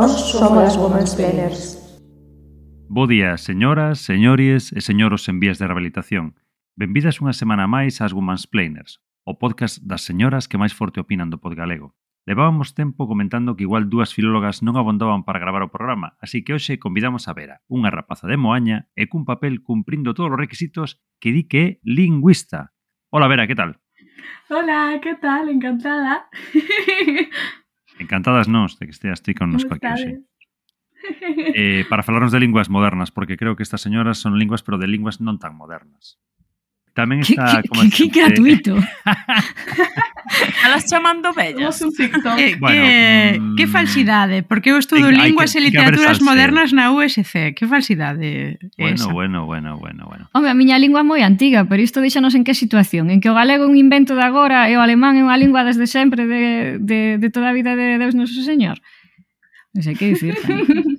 Nós somos as Womansplainers. Bo día, señoras, señores e señoros en vías de rehabilitación. Benvidas unha semana máis ás Womansplainers, o podcast das señoras que máis forte opinan do pod galego. Levábamos tempo comentando que igual dúas filólogas non abondaban para gravar o programa, así que hoxe convidamos a Vera, unha rapaza de Moaña e cun papel cumprindo todos os requisitos que di que é lingüista. Hola Vera, que tal? Hola, ¿qué tal? Encantada. Encantadas nós de que esteas ti connosco aquí hoxe. Para falarnos de linguas modernas, porque creo que estas señoras son linguas, pero de linguas non tan modernas. Tamén está... Que gratuito. Alas chamando bellas. Somos un TikTok. Que falsidade, porque eu estudo linguas e literaturas modernas na USC. Que falsidade é esa? Bueno. Home, a miña lingua é moi antiga, pero isto deixanos en que situación? En que o galego é un invento de agora e o alemán é unha lingua desde sempre de toda a vida de Deus Noso Señor? Non sei que dicir.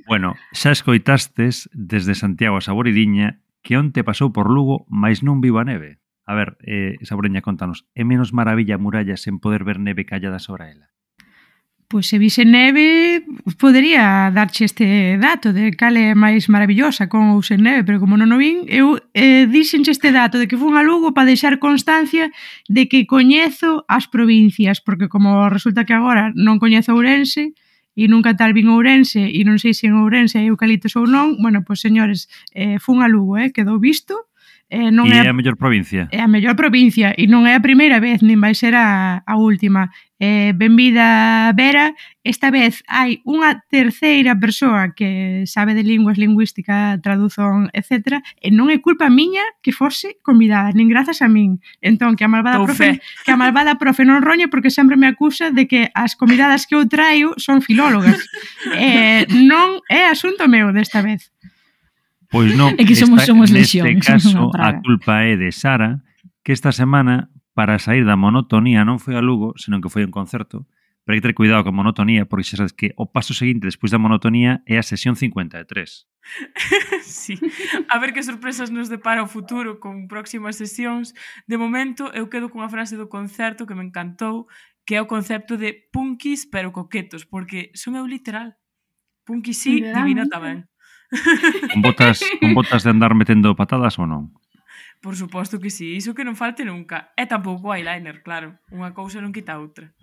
Bueno, xa escoitastes desde Santiago a Saboridiña que onte pasou por Lugo, mais non vivo a neve. A ver, Saboriña, contanos, é menos maravilla a muralla sen poder ver neve callada sobre ela? Pois se vise neve, podería darche este dato de cal é máis maravillosa con ou sen neve, pero como non o vin, eu dixenche este dato de que fun a Lugo para deixar constancia de que coñezo as provincias, porque como resulta que agora non coñezo Ourense, e nunca tal vin Ourense, e non sei se en Ourense hai eucaliptos ou non, bueno, pois señores, fun a Lugo, quedou visto. Non é a mellor provincia? É a mellor provincia, e non é a primeira vez, nin vai ser a última. Benvida, Vera. Esta vez hai unha terceira persoa que sabe de linguas, lingüística, tradución, etc. E non é culpa miña que fose convidada, nin grazas a min. Entón, que a malvada profe non roñe porque sempre me acusa de que as convidadas que eu traio son filólogas. Non é asunto meu desta vez. Pois non, é que somos neste caso a culpa é de Sara, que esta semana, para sair da monotonía, non foi a Lugo, senón que foi a un concerto, pero hai que ter cuidado con monotonía, porque xa sabes que o paso seguinte despois da monotonía é a sesión 53. Sí, a ver que sorpresas nos depara o futuro con próximas sesións. De momento, eu quedo cunha frase do concerto que me encantou, que é o concepto de punkis pero coquetos, porque son eu literal. Punkis sí, divina tamén. Con botas de andar metendo patadas ou non? Por suposto que sí, iso que non falte nunca. E tampouco o eyeliner, claro. Unha cousa non quita outra.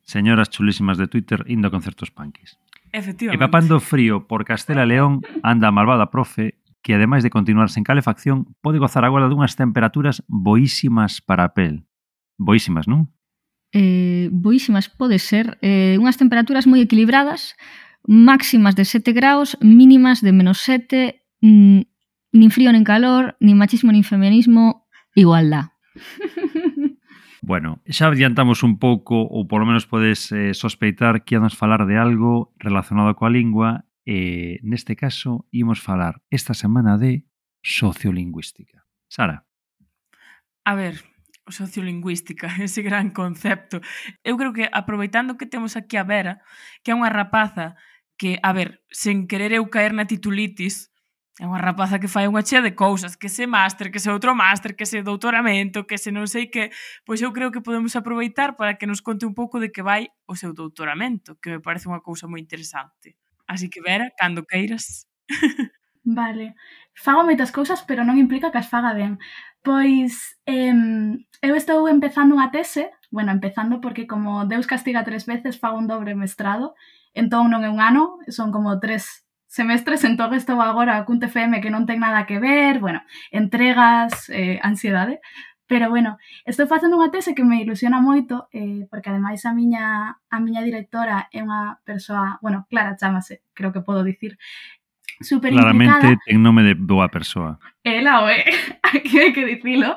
Señoras chulísimas de Twitter indo a concertos punkis. Efectivamente. E papando frío por Castela e León anda a malvada profe que, ademais de continuar sen calefacción, pode gozar agora dunhas temperaturas boísimas para a pel. Boísimas, non? Boísimas pode ser. Unhas temperaturas moi equilibradas, máximas de 7 graus, mínimas de -7, nin frío nin calor, nin machismo nin feminismo, igualdad. Bueno, xa adiantamos un pouco, ou polo menos podes sospeitar que íamos falar de algo relacionado coa lingua, e neste caso ímos falar esta semana de sociolingüística. Sara. A ver, sociolingüística, ese gran concepto. Eu creo que aproveitando que temos aquí a Vera, que é unha rapaza que, a ver, sen querer eu caer na titulitis, é unha rapaza que fai unha chea de cousas, que se máster, que se outro máster, que se doutoramento, que se non sei que, pois eu creo que podemos aproveitar para que nos conte un pouco de que vai o seu doutoramento, que me parece unha cousa moi interesante. Así que, Vera, cando queiras. Vale. Fago moitas cousas, pero non implica que as faga ben. Pois, eu estou empezando unha tese, empezando porque como Deus castiga 3 veces, fago un dobre mestrado, entón non é un ano, son como 3 semestres, entón estou agora cun TFM que non ten nada que ver, entregas, ansiedade, pero estou facendo unha tese que me ilusiona moito, porque ademais a miña directora é unha persoa, Clara chamase, creo que podo dicir, super implicada. Claramente ten nome de boa persoa. Ela o é, aquí hai que dicilo.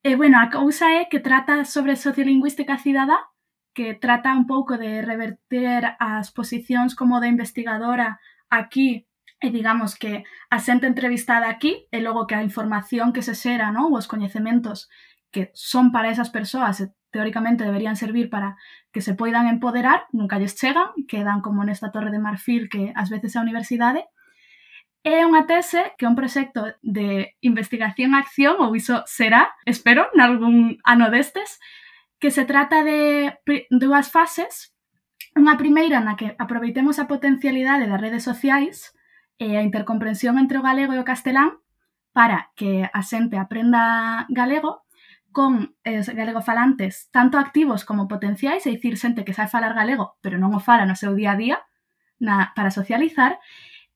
A cousa é que trata sobre sociolingüística cidadá, que trata un pouco de reverter as posicións como de investigadora aquí, e digamos que a xente entrevistada aquí, e logo que a información que se xera, os coñecementos que son para esas persoas e teóricamente deberían servir para que se poidan empoderar, nunca lles chegan, quedan como nesta torre de marfil que ás veces é a universidade. É unha tese que é un proxecto de investigación-acción, ou iso será, espero, nalgún ano destes, que se trata de dúas fases. Unha primeira na que aproveitemos a potencialidade das redes sociais e a intercomprensión entre o galego e o castelán para que a xente aprenda galego con galego falantes tanto activos como potenciais, é dicir, xente que sabe falar galego pero non o fala no seu día a día para socializar,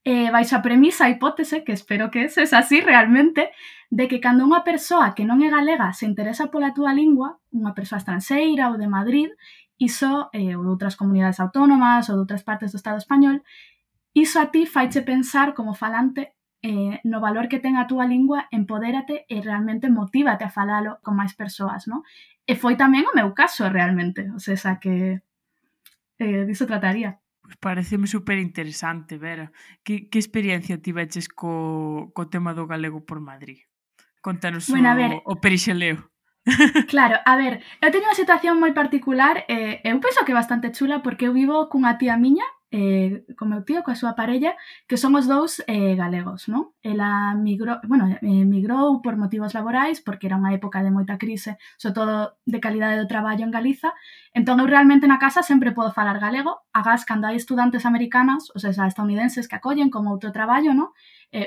baixo a premisa, a hipótese, que espero que es así realmente, de que cando unha persoa que non é galega se interesa pola túa lingua, unha persoa estranxeira ou de Madrid, iso, ou de outras comunidades autónomas ou de outras partes do Estado español, iso a ti faiche pensar como falante no valor que ten a túa lingua, empodérate e realmente motívate a falalo con máis persoas, non? E foi tamén o meu caso realmente, o sea que diso trataría. Pois pareceme super interesante, Vera. Que experiencia tiveches co tema do galego por Madrid? Contanos o perixeleo. Claro, a ver, eu teño unha situación moi particular, eu penso que é bastante chula porque eu vivo cunha tía miña, con meu tío, coa súa parella, que son os dous galegos, non? Ela migrou por motivos laborais, porque era unha época de moita crise, sobre todo de calidade do traballo en Galiza, entón eu realmente na casa sempre podo falar galego, agás cando hai estudantes americanas, ou sea, estadounidenses que acollen como outro traballo, non?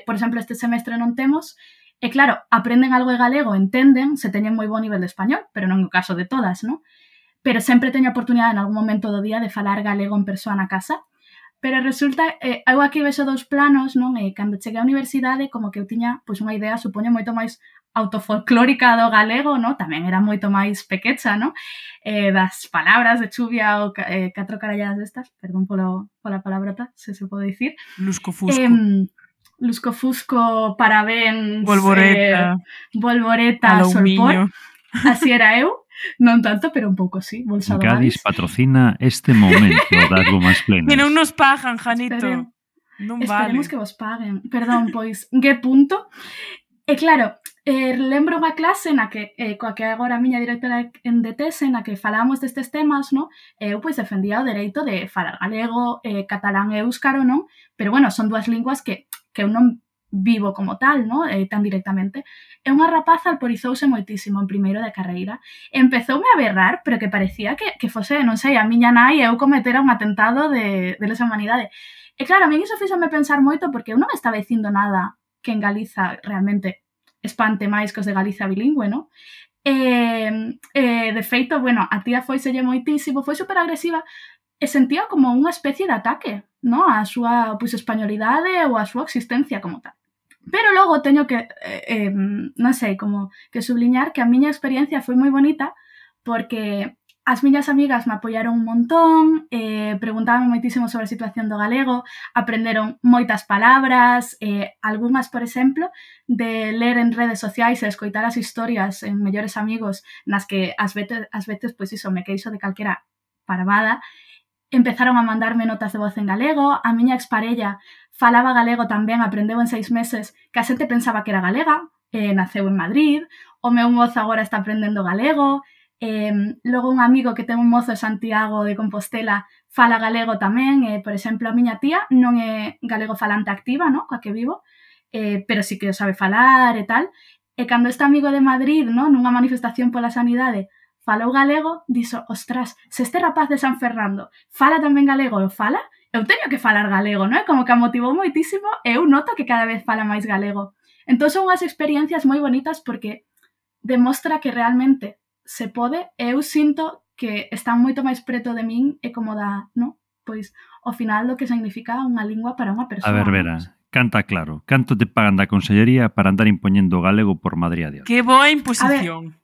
Por exemplo, este semestre non temos. E claro, aprenden algo de galego, entenden, se teñen moi bo nivel de español, pero non é o caso de todas, non? Pero sempre teño a oportunidade en algún momento do día de falar galego en persoa na casa. Pero resulta, eu aquí vexo dous planos, non? E cando cheguei á universidade, como que eu tiña pois unha idea, supoño, moito máis autofolclórica do galego, non? Tamén era moito máis pequecha, non? Das palabras de chuvia ou catro caralladas destas, perdón pola palabrota, se pode dicir. Lusco-fusco. Lusco-fusco, parabéns, Volvoreta, solpor. Así era eu, non tanto, pero un pouco sí. Gadis patrocina este momento das Womansplainers. Que non nos pagan, Janito. Non vale. Esperemos que vos paguen. Perdón, pois, que punto. E claro, lembro unha clase na que, coa que agora a miña directora de tese, na que falábamos destes temas, non? Eu pois defendía o dereito de falar galego, catalán e éuscaro, non? Pero bueno, son dúas linguas que eu non vivo como tal, non? Tan directamente. E unha rapaza alborizouse moitísimo en primeiro de carreira. Empezoume a berrar, pero que parecía que fose, non sei, a miña nai eu cometera un atentado de lesa humanidade. E claro, a mí iso fíxome pensar moito porque eu non estaba dicindo nada que en Galiza realmente espante máis que os de Galiza bilingüe, non? De feito, bueno, a tía foiselle moitísimo, foi super agresiva e sentía como unha especie de ataque, non? A súa pois, españolidade ou a súa existencia como tal. Pero logo teño que, non sei, como que subliñar que a miña experiencia foi moi bonita porque as miñas amigas me apoiaron un montón, preguntaban moitísimo sobre a situación do galego, aprenderon moitas palabras, algunhas, por exemplo, de ler en redes sociais e escoitar as historias en mellores amigos nas que ás veces, pois iso, me queixo de calquera parvada, empezaron a mandarme notas de voz en galego, a miña exparella falaba galego tamén, aprendeu en 6 meses, que a xente pensaba que era galega, naceu en Madrid, o meu mozo agora está aprendendo galego, logo un amigo que ten un mozo de Santiago de Compostela fala galego tamén, por exemplo, a miña tía non é galego falante activa, no? Coa que vivo, pero sí que o sabe falar e tal, e cando este amigo de Madrid, no? Nunha manifestación pola sanidade, falou galego, dixo, ostras, se este rapaz de San Fernando fala tamén galego, fala, eu teño que falar galego, non? Como que a motivou moitísimo e eu noto que cada vez fala máis galego. Entón son unhas experiencias moi bonitas porque demostra que realmente se pode e eu sinto que están moito máis preto de min e como da, non? Pois, ao final do que significa unha lingua para unha persoa. A ver, Vera, canta claro. Canto te pagan da Consellería para andar impoñendo o galego por Madrid a Dios? Que boa imposición.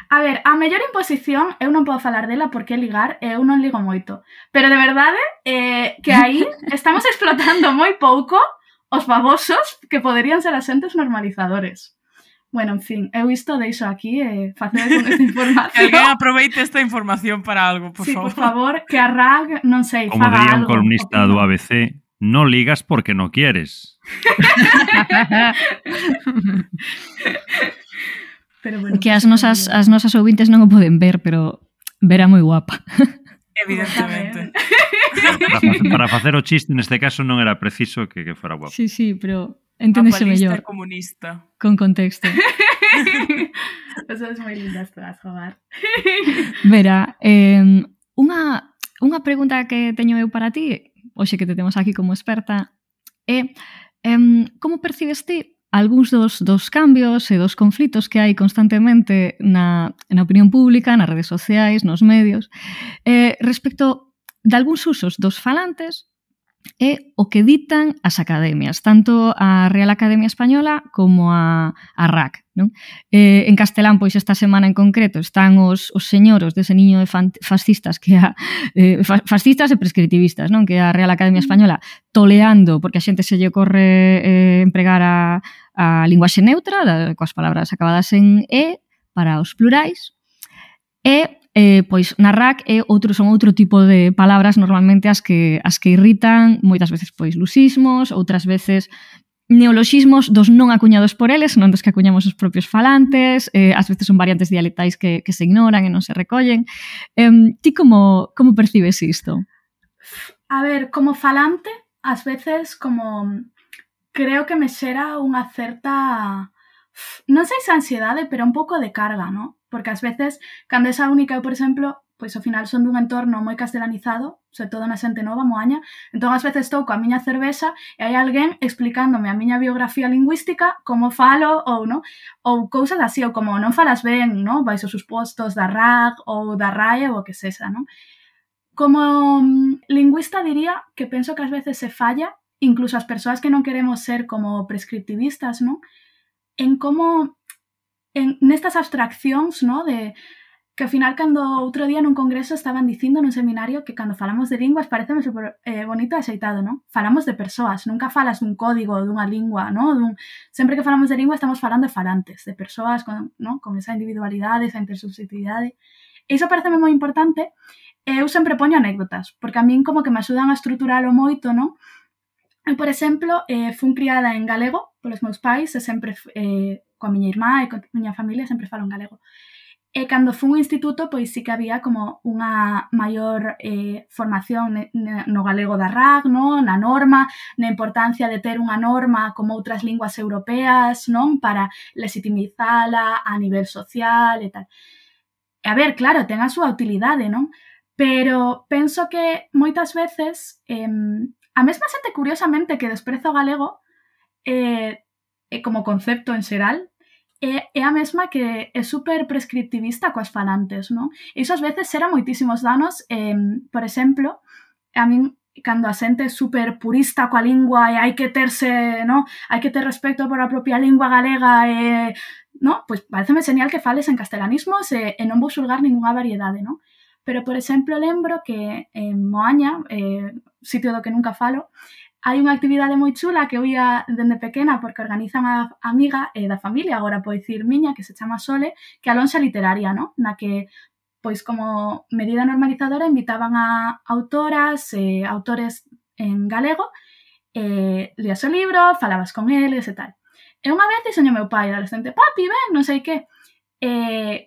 A ver, a mellor imposición eu non podo falar dela porque ligar e eu non ligo moito. Pero de verdade que aí estamos explotando moi pouco os babosos que poderían ser asentes normalizadores. Bueno, en fin, eu isto deixo aquí e facer con esta información. Que alguén aproveite esta información para algo, por favor. Sí, por favor, que a RAG, non sei, como faga algo. Como diría un columnista do ABC, no ligas porque no quieres. Pero bueno, que as nosas ouvintes non o poden ver, pero Vera moi guapa. Evidentemente. Para facer o chiste, neste caso, non era preciso que fora guapa. Sí, pero enténdese mellor. Comunista. Con contexto. Eso es moi lindas todas, jogar. Vera, unha unha pregunta que teño eu para ti, hoxe que te temos aquí como experta, é como percibes ti algúns dos cambios e dos conflitos que hai constantemente na opinión pública, nas redes sociais, nos medios, respecto de algúns usos dos falantes é o que ditan as academias, tanto a Real Academia Española como a RAC, non? En castelán, pois esta semana en concreto, están os señoros dese niño de fascistas que fascistas e prescriptivistas, non? Que a Real Academia Española toleando, porque a xente se lle ocorre empregar a linguaxe neutra, coas palabras acabadas en E, para os plurais, e pois na RAC son outro tipo de palabras normalmente as que irritan, moitas veces pois lusismos, outras veces neoloxismos dos non acuñados por eles, non dos que acuñamos os propios falantes, ás veces son variantes dialectais que se ignoran e non se recollen. Ti como percibes isto? A ver, como falante, ás veces como creo que me xera unha certa, non sei se ansiedade, pero un pouco de carga, non? Porque ás veces, cando esa única, eu, por exemplo, pois ao final son dun entorno moi castelanizado, sobre todo na xente nova, moaña, entón ás veces estou coa miña cervexa e hai alguén explicándome a miña biografía lingüística, como falo, ou non, ou cousas así, ou como non falas ben, non, vais aos supostos da RAC ou da RAE ou o que sexa, non? Como lingüista diría que penso que ás veces se falla, incluso as persoas que non queremos ser como prescriptivistas, non? En como nestas abstraccións, no, de que ao final cando outro día nun congreso estaban dicindo nun seminario que cando falamos de linguas pareceme super bonito e axeitado, non? Falamos de persoas, nunca falas dun código, dunha lingua, non? Sempre que falamos de lingua estamos falando de falantes, de persoas con esa individualidade, esa intersubjetividade. Iso pareceme moi importante e eu sempre poño anécdotas, porque a min como que me axudan a estruturalo moito, non? Eu, por exemplo, fun criada en galego polos meus pais e sempre coa miña irmá e coa miña familia sempre falo en galego. E cando fun ao instituto, pois sí que había como unha maior formación no galego da RAC, non? Na norma, na importancia de ter unha norma como outras linguas europeas, non? Para legitimizala a nivel social e tal. E a ver, claro, ten a súa utilidade, non? Pero penso que moitas veces a mesma xente, curiosamente, que despreza o galego como concepto en xeral, é a mesma que é super prescriptivista coas falantes, non? Iso ás veces xera moitísimos danos, por exemplo, a min cando a xente é super purista coa lingua e hai que terse, non? Hai que ter respecto por a propia lingua galega e, non? Pois pareceme genial que fales en castelanismos e non vou xulgar ningunha variedade, non? Pero, por exemplo, lembro que en Moaña, sitio do que nunca falo, hai unha actividade moi chula que eu ia dende pequena porque organizan a amiga da familia, agora podo dicir miña, que se chama Sole, que é a lonxa literaria, non? Na que, pois como medida normalizadora, invitaban a autoras e autores en galego, lías o libro, falabas con eles e tal. E unha vez dixo o meu pai, adolescente, papi, ven, non sei que.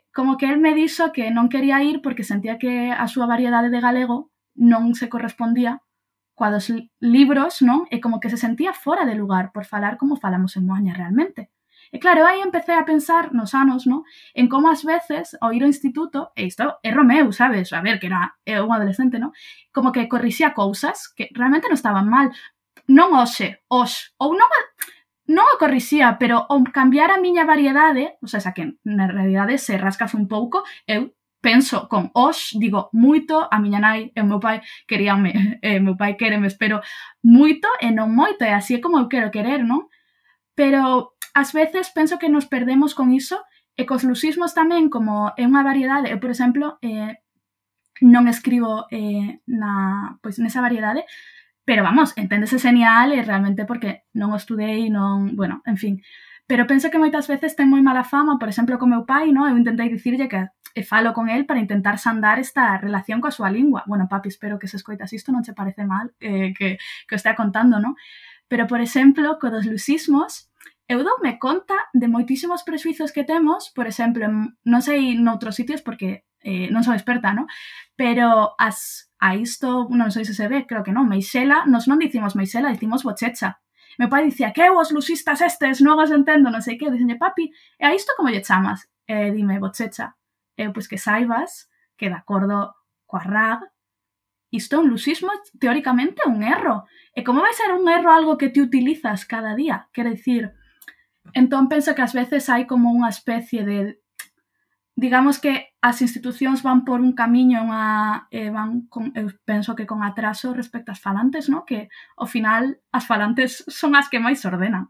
Como que el me dixo que non quería ir porque sentía que a súa variedade de galego non se correspondía coa dos libros, non? E como que se sentía fora de lugar por falar como falamos en Moaña realmente. E claro, aí empecé a pensar nos anos, non? En como ás veces, ao ir ao instituto, e isto é Romeu, sabes? A ver, que era un adolescente, non? Como que corrixía cousas que realmente non estaban mal. Non hoxe, ou non o corrixía, pero ao cambiar a miña variedade, o sea, que na realidade se rascas un pouco, eu penso con digo moito, a miña nai e o meu pai queríanme, o meu pai quéreme, espero, moito e non moito, e así é como eu quero querer, non? Pero ás veces penso que nos perdemos con iso, e cos lusismos tamén, como é unha variedade, eu, por exemplo, non escribo nesa variedade, pero vamos, enténdese genial e realmente porque non o estudei, non, bueno, en fin. Pero penso que moitas veces ten moi mala fama, por exemplo, co meu pai, non? Eu intentei dicirlle que falo con el para intentar sandar esta relación coa súa lingua. Bueno, papi, espero que se escoitas isto, non che parece mal que o estea contando, non? Pero, por exemplo, co dos lusismos, eu doume conta de moitísimos prexuizos que temos, por exemplo, non sei noutros sitios porque non son experta, non? Pero a isto, non sei se se ve, creo que non, meixela, nos non dicimos meixela, dicimos bochecha. Meu pai dicía, que os lusistas estes non os entendo, non sei que, dicenlle, papi, e a isto como lle chamas? Dime, bochecha. Pois que saibas que de acordo coa RAG, isto é un lusismo, teóricamente é un erro. E como vai ser un erro algo que te utilizas cada día? Quero dicir, entón penso que ás veces hai como unha especie de... Digamos que as institucións van por un camiño van con, eu penso que con atraso respecto ás falantes, ¿no? Que ao final as falantes son as que máis ordenan.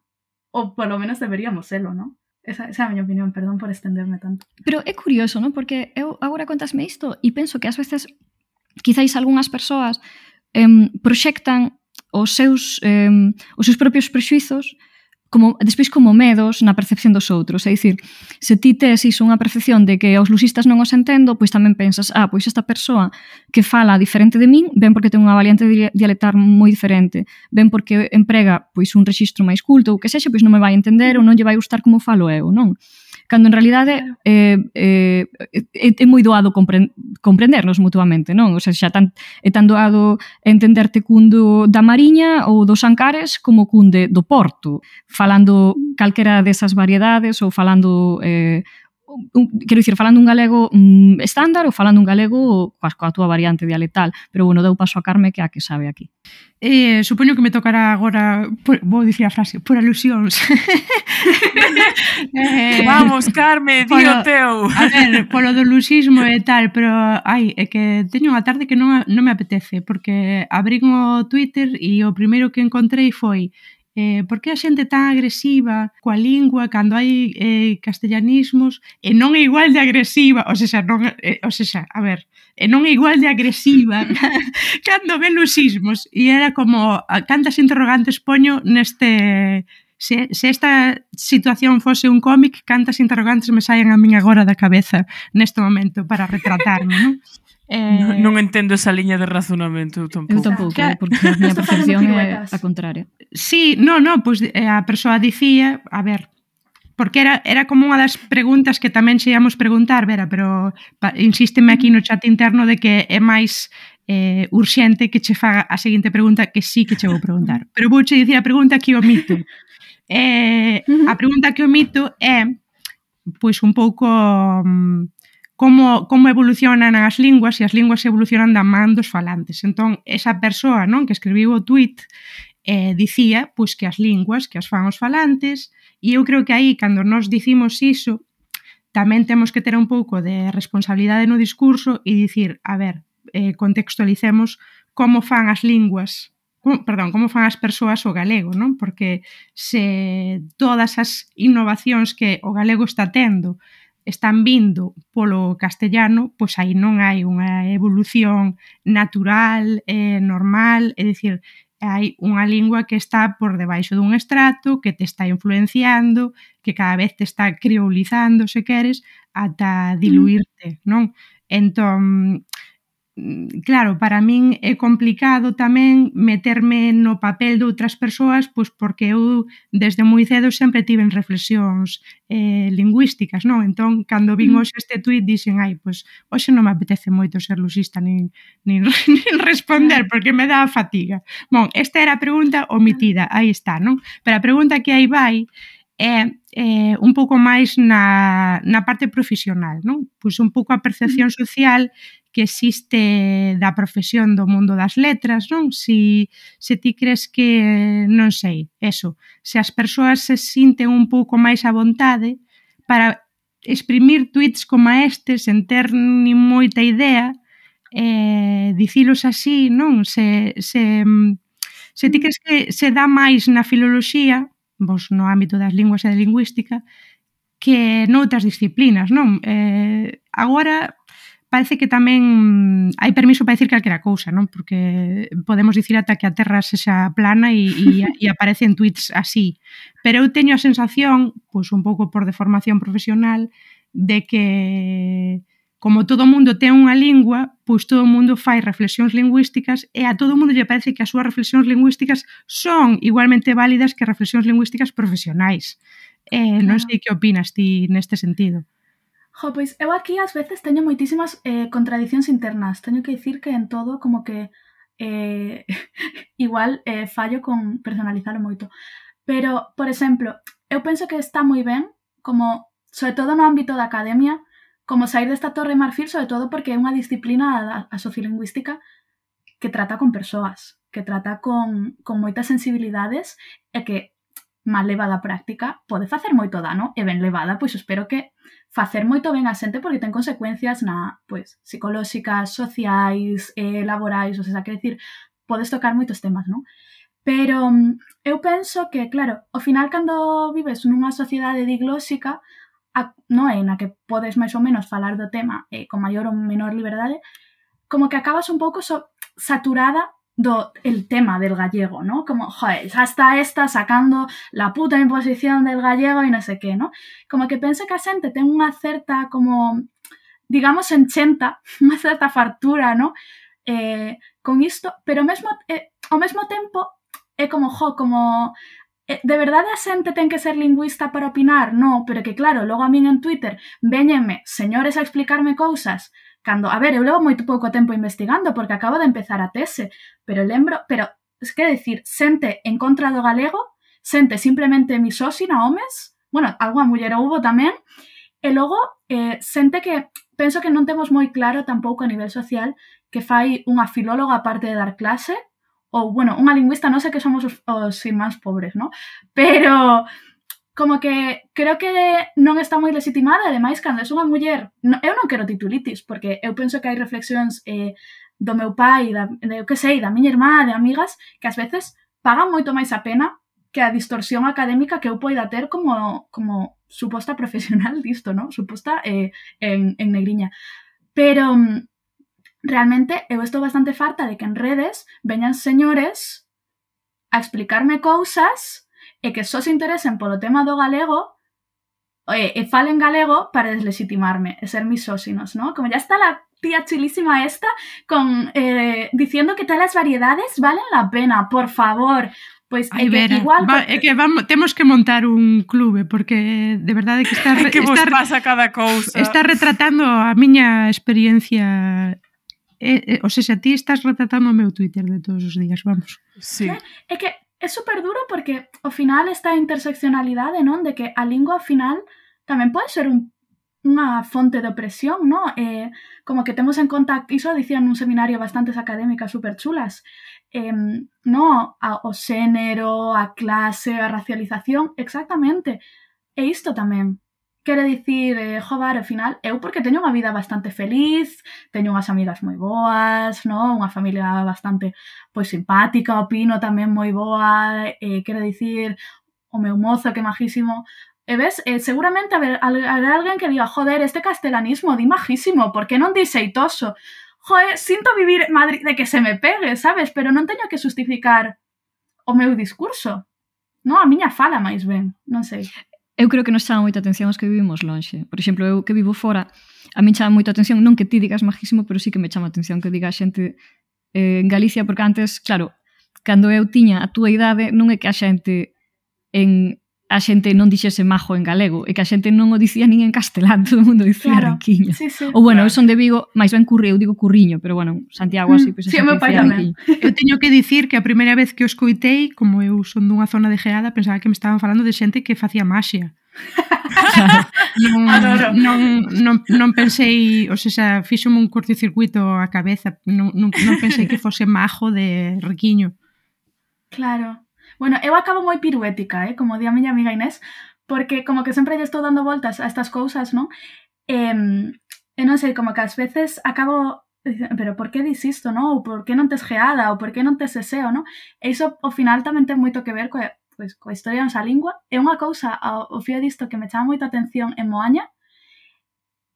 Ou polo menos deberíamos selo, ¿no? Esa é a miña opinión, perdón por estenderme tanto. Pero é curioso, ¿no? Porque eu agora contasme isto e penso que ás veces quizáis algunhas persoas proxectan os seus propios prexuizos despois como medos na percepción dos outros. É dicir, se ti tes iso unha percepción de que aos lusistas non os entendo, pois tamén pensas, pois esta persoa que fala diferente de min, ben porque ten unha variante dialectal moi diferente, ben porque emprega pois un rexistro máis culto, ou que sexa, pois non me vai entender ou non lle vai gustar como falo eu, non? Cando en realidade é moi doado comprendernos mutuamente, non? O sea, xa é tan doado entenderte cun da Mariña ou dos Ancares como cun do Porto, falando calquera desas variedades ou falando quero dicir, falando un galego estándar ou falando un galego coa túa variante dialectal. Pero bueno, dou paso a Carme, que é a que sabe aquí. Supoño que me tocará agora, vou dicir a frase, por alusións. Vamos, Carme, di o teu. A ver, polo do lusismo e tal, pero é que teño unha tarde que non me apetece, porque abrín o Twitter e o primeiro que encontrei foi por que a xente tan agresiva coa lingua cando hai castellanismos e non é igual de agresiva, a ver, e non é igual de agresiva cando ve lusismos, e era como cantas interrogantes poño neste... Se esta situación fose un cómic, cantas interrogantes me saen a min agora da cabeza neste momento para retratarme, non? Non entendo esa liña de razonamento, eu tampouco. Eu tampouco, porque a miña percepción é a contraria. Sí, pois a persoa dicía, a ver, porque era como unha das preguntas que tamén se íamos preguntar, Vera, pero insísteme aquí no chat interno de que é máis urxente que che faga a seguinte pregunta, que sí que che vou preguntar. Pero vouche dicir a pregunta que omito. A pregunta que omito é, pois un pouco... como evolucionan as linguas, e as linguas evolucionan da man dos falantes. Entón, esa persoa, non, que escribiu o tweet dicía pois que as linguas que as fan os falantes, e eu creo que aí, cando nos dicimos iso, tamén temos que ter un pouco de responsabilidade no discurso e dicir, a ver, contextualicemos como fan as linguas, como fan as persoas o galego, non? Porque se todas as innovacións que o galego está tendo están vindo polo castellano, pois aí non hai unha evolución natural, normal, é dicir, hai unha lingua que está por debaixo dun estrato, que te está influenciando, que cada vez te está crioulizando, se queres, ata diluirte, non? Entón, claro, para min é complicado tamén meterme no papel de outras persoas, pois porque eu desde moi cedo sempre tiven reflexións lingüísticas, non? Entón, cando vin hoxe este tuit, dixen, pois hoxe non me apetece moito ser lusista nin responder, porque me dá fatiga. Bon, esta era a pregunta omitida, aí está, non? Pero a pregunta que aí vai é un pouco máis na parte profesional, non? Pois un pouco a percepción social que existe da profesión do mundo das letras, non? Se ti crees que, non sei, eso, se as persoas se sinten un pouco máis a vontade para exprimir tweets como estes sen ter nin moita idea, dicilos así, non? Se ti crees que se dá máis na filoloxía, vos no ámbito das linguas e da lingüística, que noutras disciplinas, non? Agora parece que tamén hai permiso para dicir calquera cousa, non? Porque podemos dicir ata que a Terra sexa plana e aparecen tweets así. Pero eu teño a sensación, pois un pouco por deformación profesional, de que como todo mundo ten unha lingua, pois todo mundo fai reflexións lingüísticas e a todo mundo lle parece que as súas reflexións lingüísticas son igualmente válidas que reflexións lingüísticas profesionais. Non sei que opinas ti neste sentido. Pois eu aquí ás veces teño moitísimas contradicións internas. Teño que dicir que en todo como que igual fallo con personalizarlo moito. Pero, por exemplo, eu penso que está moi ben, como, sobre todo no ámbito da academia, como sair desta torre de marfil, sobre todo porque é unha disciplina, a sociolingüística, que trata con persoas, que trata con moitas sensibilidades e que mal levada a práctica pode facer moito dano e ben levada, pois espero que facer moito ben a xente porque ten consecuencias pois, psicolóxicas, sociais, laborais, ou sea, quer dicir, podes tocar moitos temas, non? Pero eu penso que, claro, ao final cando vives nunha sociedade diglóxica, non é na que podes máis ou menos falar do tema con maior ou menor liberdade, como que acabas un pouco saturada el tema del gallego, ¿no? Como, joder, ya está esta sacando la puta imposición del gallego e non sei que, ¿no? Como que penso que a xente ten unha certa, como, digamos, enchenta, unha certa fartura, ¿no? Con isto, pero ao mesmo tempo é como, de verdade a xente ten que ser lingüista para opinar? No, pero que claro, logo a min en Twitter véñenme señores a explicarme cousas cando, a ver, eu levo moito pouco tempo investigando porque acabo de empezar a tese, pero es que decir, xente en contra do galego, xente simplemente misóxina, homes, bueno, algunha muller houbo tamén, e logo xente que penso que non temos moi claro tampouco a nivel social que fai unha filóloga aparte de dar clase, ou, bueno, unha lingüista, non sei que somos os irmáns pobres, ¿no? Pero como que creo que non está moi legitimada, ademais, cando é unha muller, eu non quero titulitis, porque eu penso que hai reflexións do meu pai, da miña irmá, de amigas, que ás veces pagan moito máis a pena que a distorsión académica que eu poida ter como suposta profesional disto, ¿no? Suposta en negriña. Pero realmente eu estou bastante farta de que en redes veñan señores a explicarme cousas e que só se interesen polo tema do galego e falen galego para deslegitimarme e ser misóxinos, ¿no? Como ya está la tía chulísima esta diciendo que todas las variedades valen la pena, por favor. Pois é que igual temos que montar un clube porque de verdade que que vos pasa cada cousa. Está retratando a miña experiencia. O sea, ti estás retratando o meu Twitter de todos os días, vamos. Sí. É que é super duro porque ao final esta interseccionalidade, non? De que a lingua ao final tamén pode ser unha fonte de opresión, non? Como que temos en conta, iso dicían nun seminario bastantes académicas super chulas, non? O xénero, a clase, a racialización, exactamente. E isto tamén. Quere dicir, joder, ao final, eu porque teño unha vida bastante feliz, teño unhas amigas moi boas, non? Unha familia bastante pois simpática, opino tamén moi boa, quero dicir, o meu mozo que é majísimo. E ves, seguramente haber alguén que diga, joder, este castelanismo di majísimo, por que non di xeitoso? Joder, sinto vivir Madrid de que se me pegue, sabes? Pero non teño que justificar o meu discurso, non? A miña fala máis ben, non sei. Eu creo que nos chama moita atención os que vivimos lonxe. Por exemplo, eu que vivo fora, a min chama moita atención, non que ti digas majísimo, pero sí que me chama atención que diga a xente en Galicia, porque antes, claro, cando eu tiña a túa idade, non é que a xente non dixese majo en galego, é que a xente non o dicía nin en castelán, todo o mundo dicía riquiño. Sí, sí, ou bueno, eu son de Vigo, máis ben eu digo curriño, pero bueno, Santiago así, pois sí, o meu pai tamén. Eu teño que dicir que a primeira vez que o escoitei, como eu son dunha zona de Geada, pensaba que me estaban falando de xente que facía maxia. Non pensei, o sea, fíxome un cortocircuito a cabeza, non pensei que fose majo de riquiño. Claro. Bueno, eu acabo moi piruética, como di a miña amiga Inés, porque como que sempre lle estou dando voltas a estas cousas, non? E non sei, como que ás veces acabo dicindo, pero por que dis isto, non? Ou por que non tes Geada, ou por que non tes Seseo, non? E iso, ao final, tamén ten moito que ver coa historia da nosa lingua. E unha cousa, ao fío disto, que me chama moita atención en Moaña,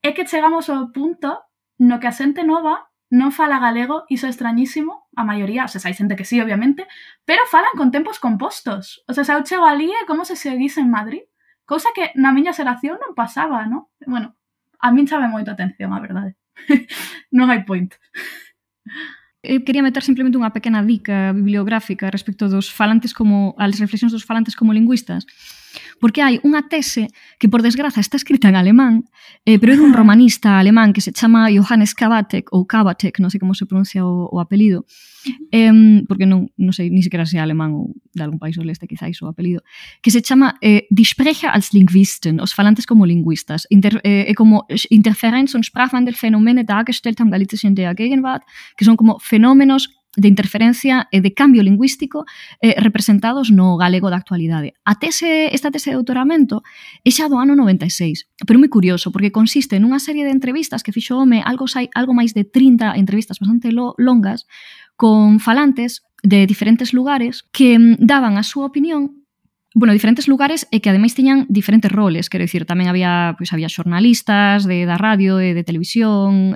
é que chegamos ao punto no que a xente nova non fala galego, iso é extrañísimo, a maioría, o sea, hai xente que sí, obviamente, pero falan con tempos compostos. O sea, eu chego ali é como se seguise en Madrid, cousa que na miña xeración non pasaba, non? Bueno, a min chame moito atención, a verdade. Non hai point. Eu quería meter simplemente unha pequena dica bibliográfica respecto dos falantes como as reflexións dos falantes como lingüistas, porque hai unha tese que, por desgraza, está escrita en alemán, pero é dun romanista alemán que se chama Johannes Kabatek, ou Kabatek, non sei como se pronuncia o apelido, porque non sei, ni siquiera se é alemán ou de algún país do leste, quizáis, o apelido, que se chama Die Sprecher als Linguisten, os falantes como lingüistas, como Interferenz und Sprachwandelphänomene dargestellt am Galizischen der Gegenwart, que son como fenómenos interferencia e de cambio lingüístico representados no galego da actualidade. Esta tese de doutoramento é xa do ano 96, pero moi curioso, porque consiste nunha serie de entrevistas que fixo o home, algo máis de 30 entrevistas bastante longas, con falantes de diferentes lugares que daban a súa opinión, diferentes lugares e que ademais tiñan diferentes roles, quero dicir, tamén había xornalistas da radio e de televisión,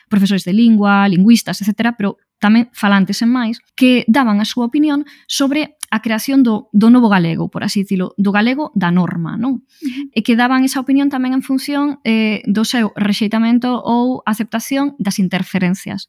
profesores de lingua, lingüistas, etc., pero tamén falantes en máis, que daban a súa opinión sobre a creación do novo galego, por así dicilo, do galego da norma, non? E que daban esa opinión tamén en función do seu rexeitamento ou aceptación das interferencias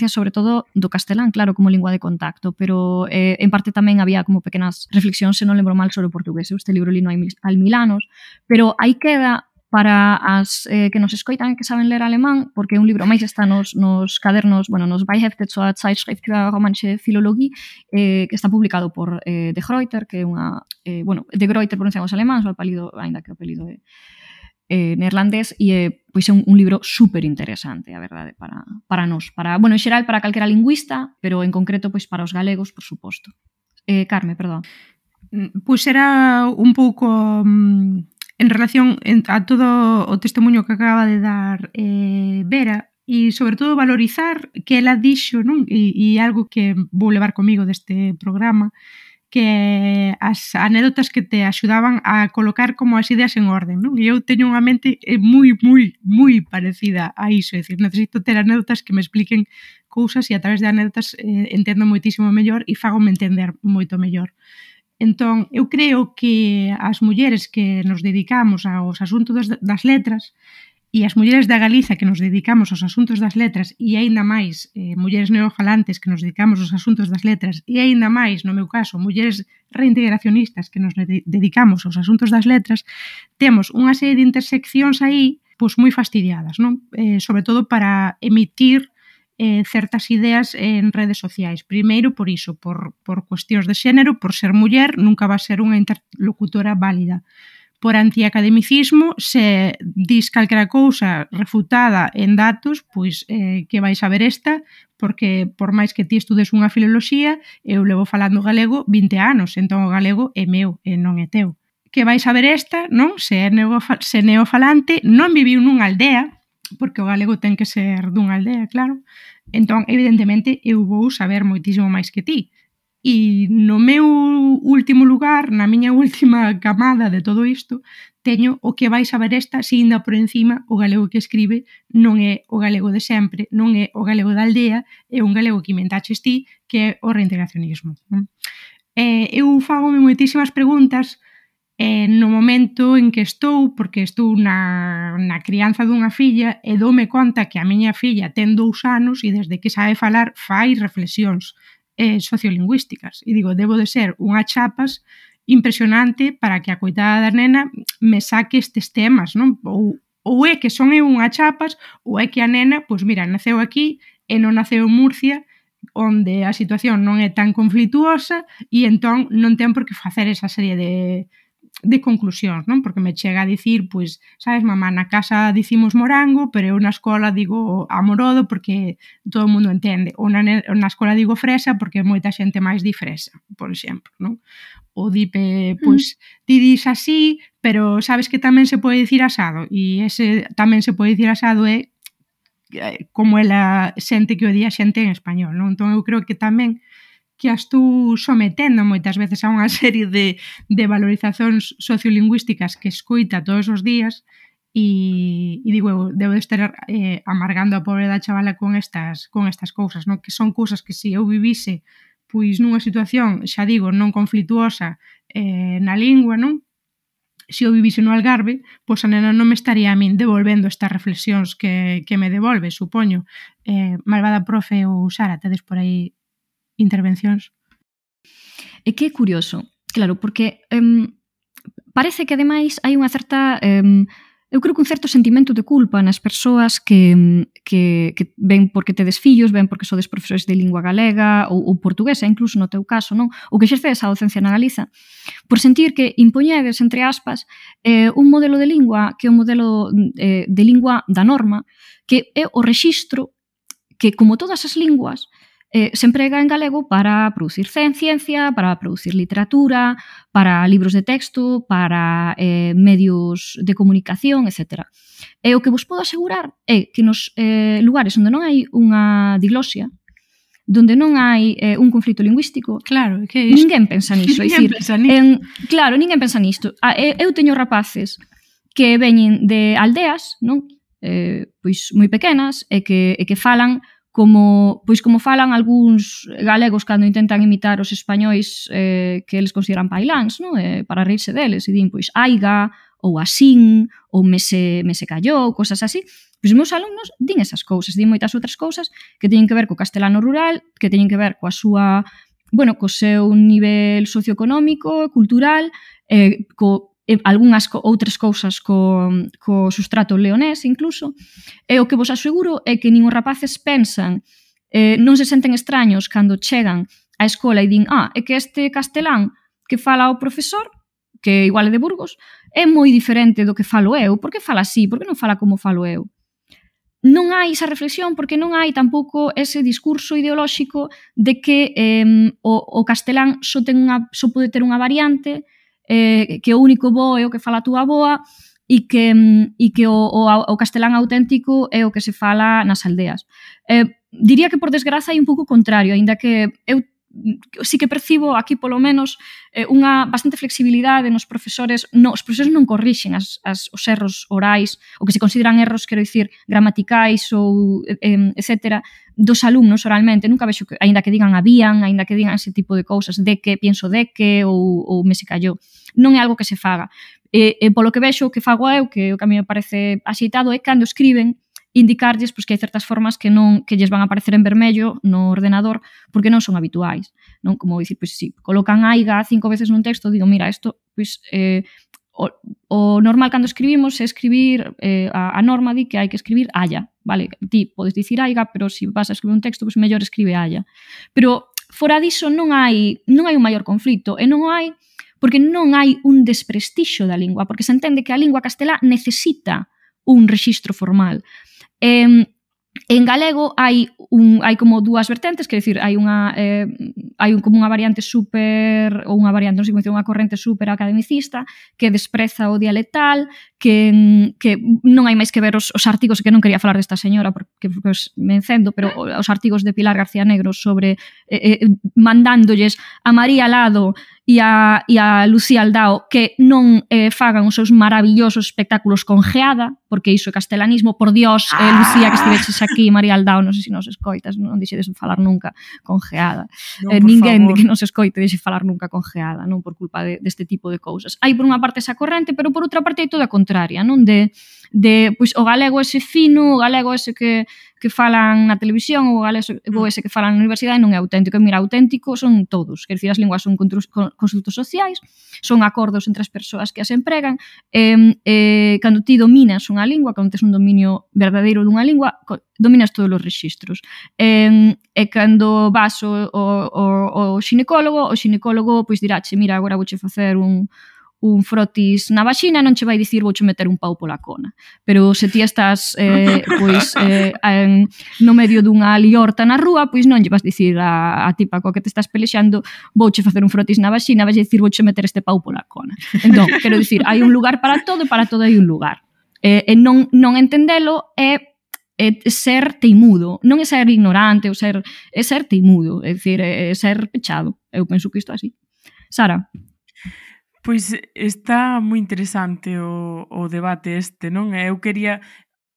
sobre todo do castelán, claro, como lingua de contacto, pero en parte tamén había como pequenas reflexións, se non lembro mal, sobre o portugués. Este libro li no hai 1000 anos, pero aí queda para as que nos escoitan e que saben ler alemán, porque é un libro máis está nos cadernos, nos Beihefte zur Zeitschrift für Romanische Philologie, que está publicado por De Gruyter, que é unha... De Gruyter pronunciamos alemán, o apelido, ainda que o apelido é neerlandés, e é un libro super interesante, a verdade, para nós, en xeral para calquera lingüista, pero en concreto para os galegos, por suposto. Carme, perdón. Pois era un pouco en relación a todo o testemunho que acaba de dar Vera, e sobre todo valorizar que ela dixo, non? E algo que vou levar comigo deste programa, que as anécdotas que te axudaban a colocar como as ideas en orden, non? E eu teño unha mente moi parecida a iso, é dicir, necesito ter anécdotas que me expliquen cousas e a través de anécdotas entendo moitísimo mellor e fagome entender moito mellor. Entón, eu creo que as mulleres que nos dedicamos aos asuntos das letras e as mulleres da Galiza que nos dedicamos aos asuntos das letras e aínda máis mulleres neofalantes que nos dedicamos aos asuntos das letras e aínda máis, no meu caso, mulleres reintegracionistas que nos dedicamos aos asuntos das letras, temos unha serie de interseccións aí moi fastidiadas, non? Sobre todo para emitir certas ideas en redes sociais. Primeiro, por iso, por cuestións de xénero, por ser muller, nunca va a ser unha interlocutora válida. Por antiacademicismo, se dis calquera cousa refutada en datos, pois que vais a ver esta, porque por máis que ti estudes unha filoloxía, eu levo falando galego 20 anos, entón o galego é meu e non é teu. Que vais a ver esta, non? Se é neofalante, non viviu nunha aldea, porque o galego ten que ser dunha aldea, claro. Entón, evidentemente, eu vou saber moitísimo máis que ti. E no meu último lugar, na miña última camada de todo isto, teño o que vais a ver esta, se ainda por encima o galego que escribe non é o galego de sempre, non é o galego da aldea, é un galego que inventaches ti, que é o reintegracionismo. Eu fagome moitísimas preguntas no momento en que estou, porque estou na crianza dunha filla e doume conta que a miña filla ten 2 anos e desde que sabe falar fai reflexións sociolingüísticas. E digo, debo de ser unha chapas impresionante para que a coitada da nena me saque estes temas, non? Ou é que son eu unha chapas, ou é que a nena, pois mira, naceu aquí e non naceu en Murcia, onde a situación non é tan conflituosa e entón non ten por que facer esa serie de conclusións, non? Porque me chega a dicir, pois, sabes, mamá, na casa dicimos morango, pero eu na escola digo amorodo porque todo o mundo entende. Ou na escola digo fresa porque moita xente máis di fresa, por exemplo, non? Ou dipe, pois, ti dis así, pero sabes que tamén se pode dicir asado, e ese tamén se pode dicir asado é como ela sente que o di a xente en español, non? Entón eu creo que tamén que as tú sometendo moitas veces a unha serie de valorizacións sociolingüísticas que escoita todos os días e digo, eu debo de estar amargando a pobre da chavala con estas cousas, non? Que son cousas que se eu vivise pois nunha situación, xa digo, non conflituosa na lingua, non? Se eu vivise no Algarve, pois a nena non me estaría a min devolvendo estas reflexións que me devolve, supoño. Malvada profe ou Sara, tedes por aí intervencións? É que é curioso, claro, porque parece que ademais hai unha certa eu creo que un certo sentimento de culpa nas persoas que ven porque tedes fillos, ven porque sodes profesores de lingua galega ou portuguesa, incluso no teu caso, non? Ou que exercedes a docencia na Galiza, por sentir que impoñedes, entre aspas, un modelo de lingua que é o modelo de lingua da norma, que é o rexistro que, como todas as linguas, se emprega en galego para producir ciencia, para producir literatura, para libros de texto, para medios de comunicación, etc. E o que vos podo asegurar é que nos lugares onde non hai unha diglosia, donde non hai un conflito lingüístico, Claro, que é isto? ninguén pensa niso. Ninguén pensa nisto. Claro, ninguén pensa nisto. Eu teño rapaces que veñen de aldeas, non? Pois moi pequenas e que falan como falan algúns galegos cando intentan imitar os españois que eles consideran pailáns, non? Para rirse deles, e din, pois, aiga, ou asín, ou me se callou, cosas así. Pois os meus alumnos din esas cousas, din moitas outras cousas que teñen que ver co castelano rural, que teñen que ver coa súa, co seu nivel socioeconómico, cultural, algunhas outras cousas co sustrato leonés incluso, e o que vos aseguro é que nin os rapaces pensan, non se senten extraños cando chegan á escola e din, é que este castelán que fala o profesor, que igual é de Burgos, é moi diferente do que falo eu. Por que fala así? Por que non fala como falo eu? Non hai esa reflexión porque non hai tampouco ese discurso ideolóxico de que o castelán só pode ter unha variante, que o único bo é o que fala a túa avoa e que o castelán auténtico é o que se fala nas aldeas. Diría que por desgraza hai un pouco contrario, aínda que eu sí que percibo aquí polo menos unha bastante flexibilidade nos profesores. Os profesores non corrixen os erros orais, o que se consideran erros, quero dicir, gramaticais ou etcétera, dos alumnos oralmente. Nunca vexo que, aínda que digan habían, aínda que digan ese tipo de cousas, de que, pienso de que, ou me se callou. Non é algo que se faga. E polo que vexo, o que fago eu, que o que a mí me parece axeitado, é cando escriben, indicarlles pois, que hai certas formas que lles van a aparecer en vermello no ordenador porque non son habituais, non? Como dicir, pois si colocan aiga 5 veces nun texto, digo, mira, isto pois o normal cando escribimos é escribir, a norma di que hai que escribir aya, vale? Ti podes dicir aiga, pero se vas a escribir un texto, pois mellor escribe aya. Pero fora diso non hai un maior conflito, e non hai porque non hai un desprestixio da lingua, porque se entende que a lingua castelá necesita un rexistro formal. En galego hai como dúas vertentes, quer dicir, hai como unha variante super, ou unha variante, non sei como dicir, unha corrente super academicista que despreza o dialectal, que non hai máis que ver os artigos, que non quería falar desta señora porque me encendo, pero os artigos de Pilar García Negro sobre mandándolles a María Lado e a Lucía Aldao que non fagan os seus maravillosos espectáculos con geada, porque iso é castelanismo. Por Dios, Lucía, que estiveches aquí, María Aldao, non sei se nos escoitas, non dixedes falar nunca con geada. Ninguén que nos escoite dixe falar nunca con geada, non por culpa deste tipo de cousas. Hai por unha parte esa corrente, pero por outra parte hai toda a contraria, non? Pois o galego ese fino, o galego ese que falan na televisión, o galego ese que falan na universidade non é auténtico. E mira, auténtico son todos, quer dicir, as linguas son construtos sociais, son acordos entre as persoas que as empregan, cando ti dominas unha lingua, cando tes un dominio verdadeiro dunha lingua, dominas todos os rexistros. E cando vas ao xinecólogo, o xinecólogo pois dirache, mira, agora vouche facer un frotis na vaxina, non che vai dicir vouche meter un pau pola cona. Pero se ti estás no medio dunha liorta na rúa, pois non lle vas dicir a tipa coa que te estás pelexando vouche facer un frotis na vaxina, vai dicir vouche meter este pau pola cona. Entón, quero dicir, hai un lugar para todo e para todo hai un lugar. E non entendelo é ser teimudo, non é ser ignorante, é ser teimudo, é dicir, é ser pechado. Eu penso que isto é así. Sara? Pois está moi interesante o debate este, non? Eu quería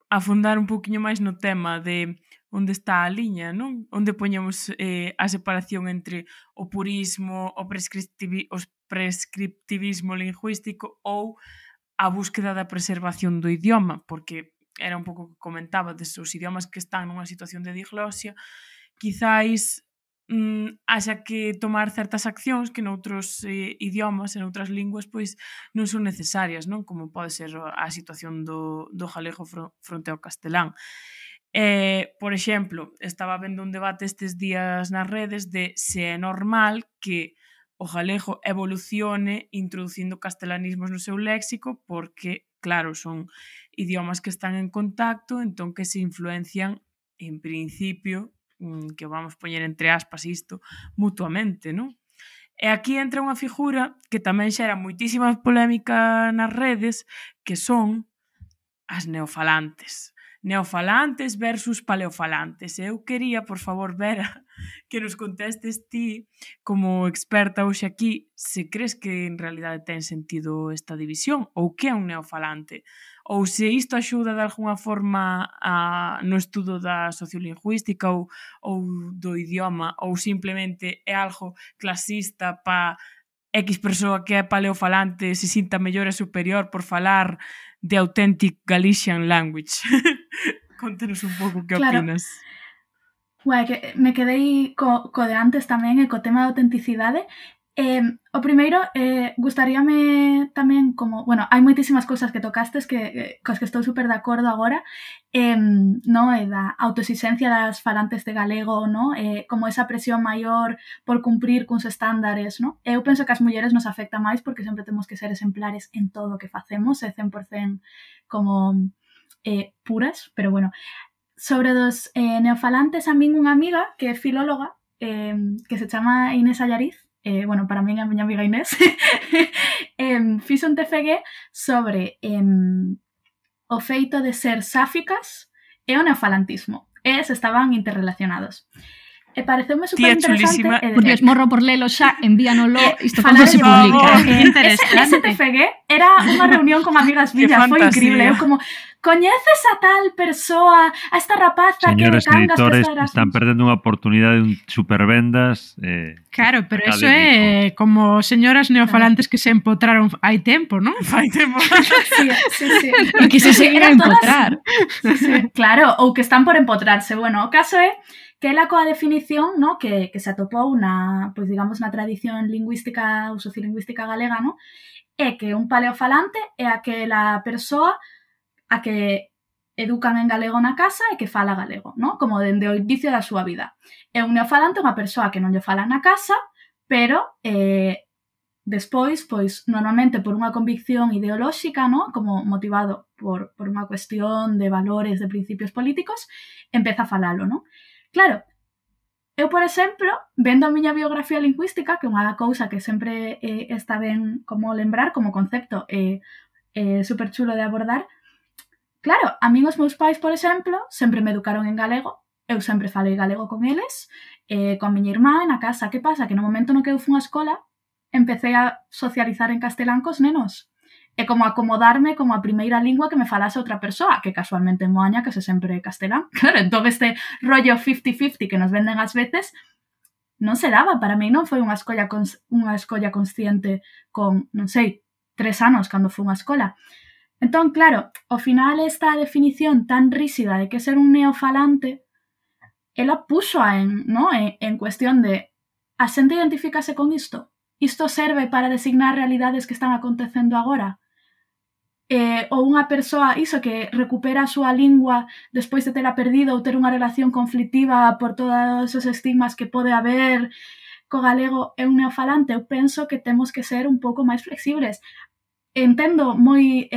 afondar un poquinho máis no tema de onde está a liña, non? Onde poñemos a separación entre o purismo, o prescriptivismo lingüístico ou a búsqueda da preservación do idioma, porque era un pouco que comentaba desos idiomas que están nunha situación de diglosia, quizáis haxa que tomar certas accións que noutros idiomas e noutras linguas pois non son necesarias, non? Como pode ser a situación do galego fronte ao castelán. Por exemplo, estaba vendo un debate estes días nas redes de se é normal que o galego evolucione introducindo castelanismos no seu léxico porque, claro, son idiomas que están en contacto, entón que se influencian en principio que vamos poñer entre aspas isto, mutuamente, non? E aquí entra unha figura que tamén xera moitísima polémica nas redes, que son as neofalantes. Neofalantes versus paleofalantes. Eu quería, por favor, Vera, que nos contestes ti, como experta hoxe aquí, se crees que en realidade ten sentido esta división, ou que é un neofalante, ou se isto axuda de alguna forma no estudo da sociolingüística ou do idioma, ou simplemente é algo clasista para X persoa que é paleofalante se sinta mellor e superior por falar de authentic Galician language. Contanos un pouco que opinas. Que me quedei co de antes tamén e co tema da autenticidade. O primeiro, gustaríame tamén como... Bueno, hai moitísimas cousas que tocastes cos que estou super de acordo agora, no? Da autoexixencia das falantes de galego, no? Como esa presión maior por cumprir cuns estándares, no? Eu penso que as mulleres nos afecta máis porque sempre temos que ser exemplares en todo o que facemos, e 100% como puras, pero bueno. Sobre dos neofalantes, a min unha amiga que é filóloga, que se chama Inés Allariz, bueno, para min é a miña amiga Inés, fixo un TFG sobre o feito de ser sáficas e o neofalantismo, e se estaban interrelacionados. E pareceume super interesante. Por Dios, morro por lelo xa, envíanolo, isto cando se publica. Ese TFG era unha reunión con amigas millas, foi increíble. Eu como, coñeces a tal persoa, a esta rapaza Señores que cangas editores, Erasmus? están perdendo unha oportunidade de un supervendas. Claro, pero eso é como señoras neofalantes que se empotraron hai tempo, non? Fai tempo. Sí. E que se seguen a empotrar. Sí, claro, ou que están por empotrarse. Bueno, o caso é que ela coa definición, no, que se atopou na, pois digamos, na tradición lingüística ou sociolingüística galega, no, é que un paleofalante é aquela persoa a que educan en galego na casa e que fala galego, no? Como dende o inicio da súa vida. E un neofalante é unha persoa que non lle fala na casa, pero despois, pois, normalmente por unha convicción ideolóxica, no? Como motivado por unha cuestión de valores, de principios políticos, empeza a falalo, no? Claro, eu, por exemplo, vendo a miña biografía lingüística, que é unha cousa que sempre está ben como lembrar, como concepto super chulo de abordar. Claro, a min os meus pais, por exemplo, sempre me educaron en galego, eu sempre falei galego con eles, con miña irmá na casa. Que pasa? Que no momento no que eu fui á escola, empecé a socializar en castelán cos nenos. E como acomodarme como a primeira lingua que me falase outra persoa, que casualmente en Moaña que se sempre castelán. Claro, entón este rollo 50-50 que nos venden ás veces non se daba. Para mí non foi unha escolla consciente con, non sei, 3 anos cando fui á escola. Entón, claro, ao final esta definición tan rígida de que ser un neofalante, ela puxo en cuestión de a xente identifícase con isto? Isto serve para designar realidades que están acontecendo agora? Ou unha persoa, iso, que recupera a súa lingua despois de tela perdido ou ter unha relación conflictiva por todos os estigmas que pode haber co galego, é un neofalante? Eu penso que temos que ser un pouco máis flexibles. Entendo moi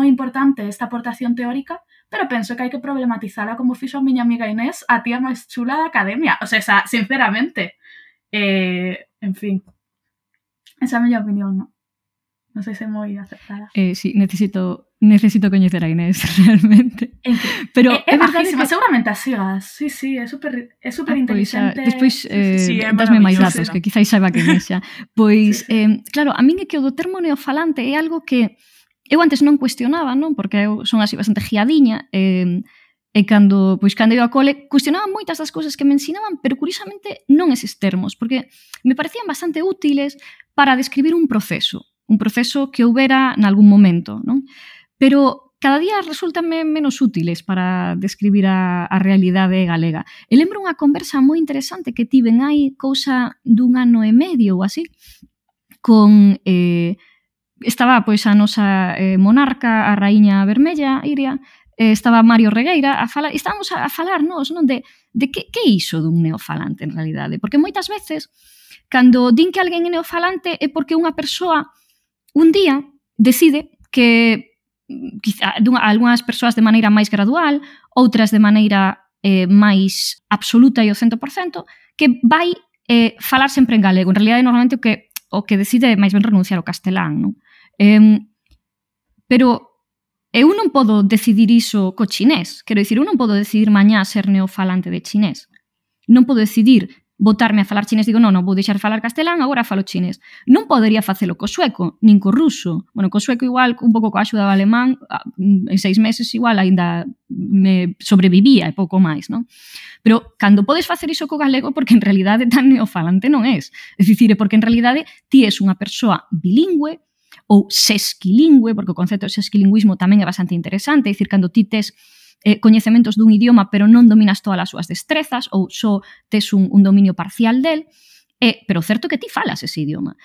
importante esta aportación teórica, pero penso que hai que problematizala como fixo a miña amiga Inés, a tía máis chula da academia. O sea, sinceramente. En fin. Esa é a miña opinión, non? Non sei se é moi acertada. Sí, necesito coñecer a Inés, realmente. Pero é bajísima, seguramente as sigas. Sí, é super inteligente. Despois dasme máis datos, que quizáis saiba que xa. Pois, claro, a min é que o do termo neofalante é algo que eu antes non cuestionaba, non? Porque eu son así bastante giadiña, e cando eu a cole cuestionaba moitas das cousas que me ensinaban, pero curiosamente non eses termos, porque me parecían bastante útiles para describir un proceso que houbera nalgún momento, non? Pero cada día resultanme menos útiles para describir a realidade galega. E lembro unha conversa moi interesante que tiven hai cousa dun ano e medio ou así, con... estaba pois a nosa monarca, a raíña vermella, Iria, estaba Mario Regueira a falar, estábamos a falar nós, non, de que é iso dun neofalante en realidade, porque moitas veces cando din que alguén é neofalante é porque unha persoa un día decide que quizá algunhas persoas de maneira máis gradual, outras de maneira máis absoluta e o 100%, que vai falar sempre en galego. En realidad, normalmente o que decide é máis ben renunciar ao castelán, non? Pero eu non podo decidir iso co chinés. Quero dicir, eu non podo decidir mañá ser neofalante de chinés. Non podo decidir botarme a falar chinés, digo, non, vou deixar de falar castelán, agora falo chinés. Non podería facelo co sueco, nin co ruso. Bueno, co sueco igual, un pouco coa axuda do alemán, en 6 meses igual aínda me sobrevivía e pouco máis, non? Pero cando podes facer iso co galego, porque en realidade tan neofalante non és. É dicir, porque en realidade ti és unha persoa bilingüe ou sesquilingüe, porque o concepto de sesquilingüismo tamén é bastante interesante, é dicir, cando ti tes coñecementos dun idioma pero non dominas todas as súas destrezas ou só tes un dominio parcial del, pero certo que ti falas ese idioma.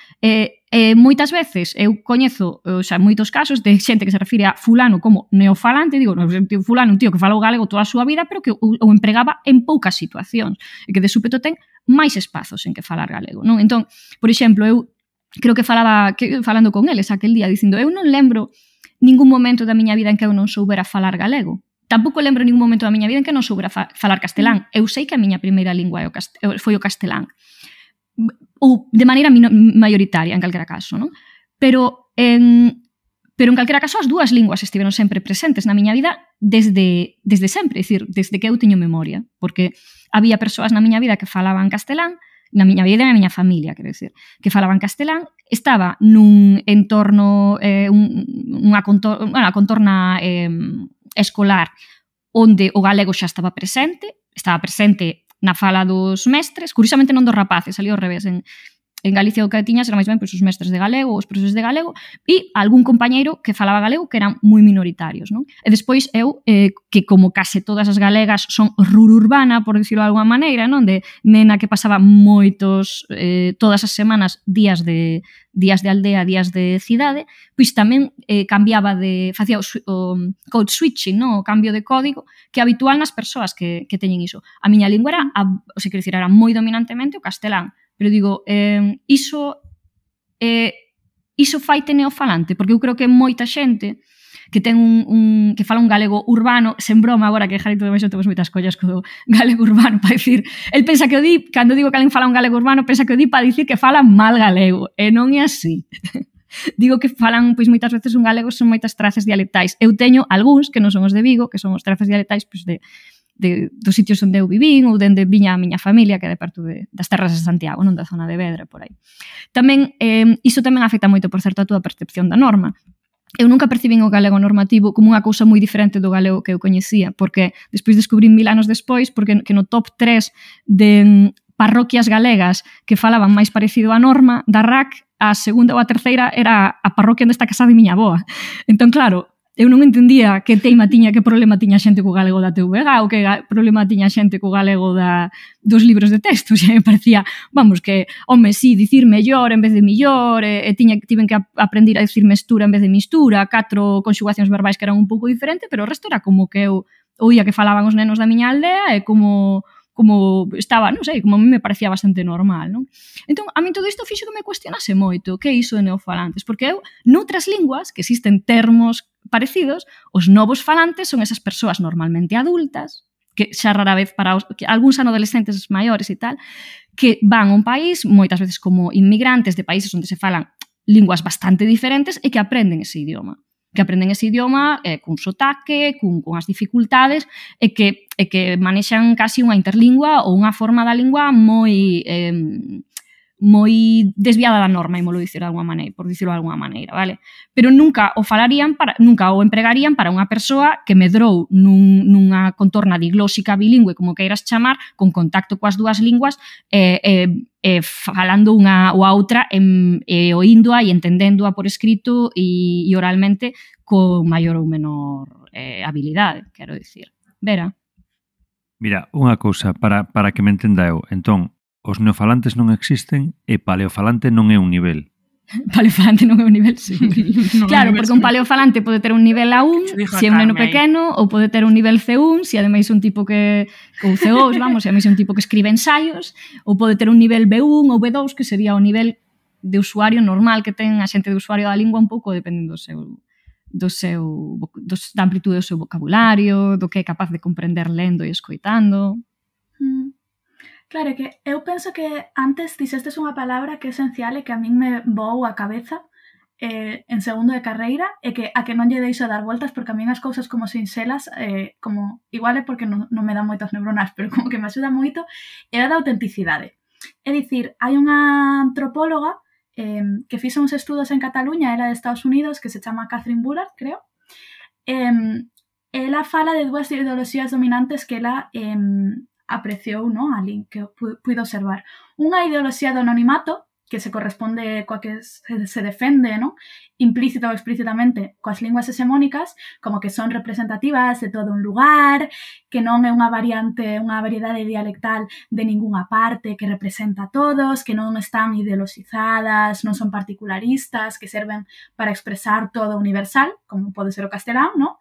Moitas veces eu coñezo, moitos casos de xente que se refire a fulano como neofalante, digo, fulano un tío que fala o galego toda a súa vida pero que o empregaba en poucas situacións e que de súpeto ten máis espazos en que falar galego, non? Entón, por exemplo, eu creo que falando con eles aquel día dicindo, eu non lembro ningún momento da miña vida en que eu non soubera falar galego. Tampouco lembro ningún momento da miña vida en que non soubera falar castelán. Eu sei que a miña primeira lingua foi o castelán. Ou de maneira maioritaria, en calquera caso, non? Pero en calquera caso as dúas linguas estiveron sempre presentes na miña vida desde sempre, é dicir, desde que eu teño memoria, porque había persoas na miña vida que falaban castelán, na miña vida e na miña familia, quero dicir, que falaban castelán, estaba nun entorno, unha contorna escolar onde o galego xa estaba presente na fala dos mestres, curiosamente non dos rapaces, salía ao revés, en Galicia o que tiñas era máis ben pois, os mestres de galego, os profesores de galego e algún compañeiro que falaba galego que eran moi minoritarios, non? E despois eu, que como case todas as galegas son rururbana, por dicirlo de alguma maneira, non? De nena que pasaba moitos, todas as semanas, días de aldea, días de cidade, pois tamén facía o code switching, non? O cambio de código que é habitual nas persoas que teñen iso. A miña lingua era moi dominantemente o castelán. Pero digo, iso faite neofalante, porque eu creo que moita xente que ten que fala un galego urbano, sen broma agora que Jarito de Baixo temos moitas collas co galego urbano para dicir, el pensa que o di, cando digo que alguén fala un galego urbano, pensa que o di para dicir que fala mal galego, e non é así. Digo que falan, pois moitas veces un galego son moitas trazas dialectais. Eu teño algúns que non son os de Vigo, que son os trazas dialectais pois dos sitios onde eu vivín ou dende viña a miña familia, que é de perto das terras de Santiago, non da zona de Vedra, por aí. Tamén, iso tamén afecta moito, por certo, a túa percepción da norma. Eu nunca percibín o galego normativo como unha cousa moi diferente do galego que eu coñecía, porque despois descubrí 1000 anos despois, porque que no top 3 de parroquias galegas que falaban máis parecido á norma da RAC, a segunda ou a terceira era a parroquia onde está casada miña avoa. Entón, claro, eu non entendía que problema tiña xente co galego da TVG ou que problema tiña xente co galego dos libros de texto. Xa me parecía, vamos, que, home, sí, dicir mellor en vez de millor, tiven que aprender a dicir mestura en vez de mistura, 4 conxugacións verbais que eran un pouco diferentes, pero o resto era como que eu oía que falaban os nenos da miña aldea e como estaba, non sei, como a mí me parecía bastante normal, non? Entón, a mí todo isto fixo que me cuestionase moito que é iso de neofalantes, porque eu, noutras linguas, que existen termos parecidos, os novos falantes son esas persoas normalmente adultas, que xa rara vez algúns adolescentes maiores e tal, que van a un país, moitas veces como inmigrantes de países onde se falan linguas bastante diferentes e que aprenden ese idioma. Cun sotaque, con as dificultades e que manexan casi unha interlingua ou unha forma da lingua moi desviada da norma, por dicirlo de alguma maneira, vale? Pero nunca o empregarían para unha persoa que medrou nunha contorna diglóxica bilingüe, como queiras chamar, con contacto coas dúas linguas falando unha ou a outra oíndoa e entendéndoa por escrito e oralmente con maior ou menor habilidade, quero dicir. Vera? Mira, unha cousa, para que me entenda eu. Entón, os neofalantes non existen e paleofalante non é un nivel. Paleofalante non é un nivel, sí. Claro, porque un paleofalante pode ter un nivel A1 se é un neno pequeno, ou pode ter un nivel C1 se ademais un tipo que ou C2, vamos, se ademais un tipo que escribe ensaios, ou pode ter un nivel B1 ou B2 que sería o nivel de usuario normal que ten a xente de usuario da lingua un pouco dependendo do seu da amplitude do seu vocabulario, do que é capaz de comprender lendo e escoitando. Claro, que eu penso que antes dixestes unha palabra que é esencial e que a min me voou a cabeza en segundo de carreira e que a que non lle deixo dar voltas porque a min as cousas como sinxelas como igual é porque non me dan moitas neuronas, pero como que me axuda moito, é a da autenticidade. É dicir, hai unha antropóloga que fixo uns estudos en Cataluña, era de Estados Unidos, que se chama Catherine Bullard, creo. Ela fala de dúas ideoloxías dominantes que ela apreciou, non? Ali, que puido observar. Unha ideoloxía do anonimato, que se corresponde coa que se defende, non? Implícita ou explícitamente coas linguas hexemónicas, como que son representativas de todo un lugar, que non é unha variedade dialectal de ningunha parte, que representa a todos, que non están ideoloxizadas, non son particularistas, que serven para expresar todo universal, como pode ser o castelán, non?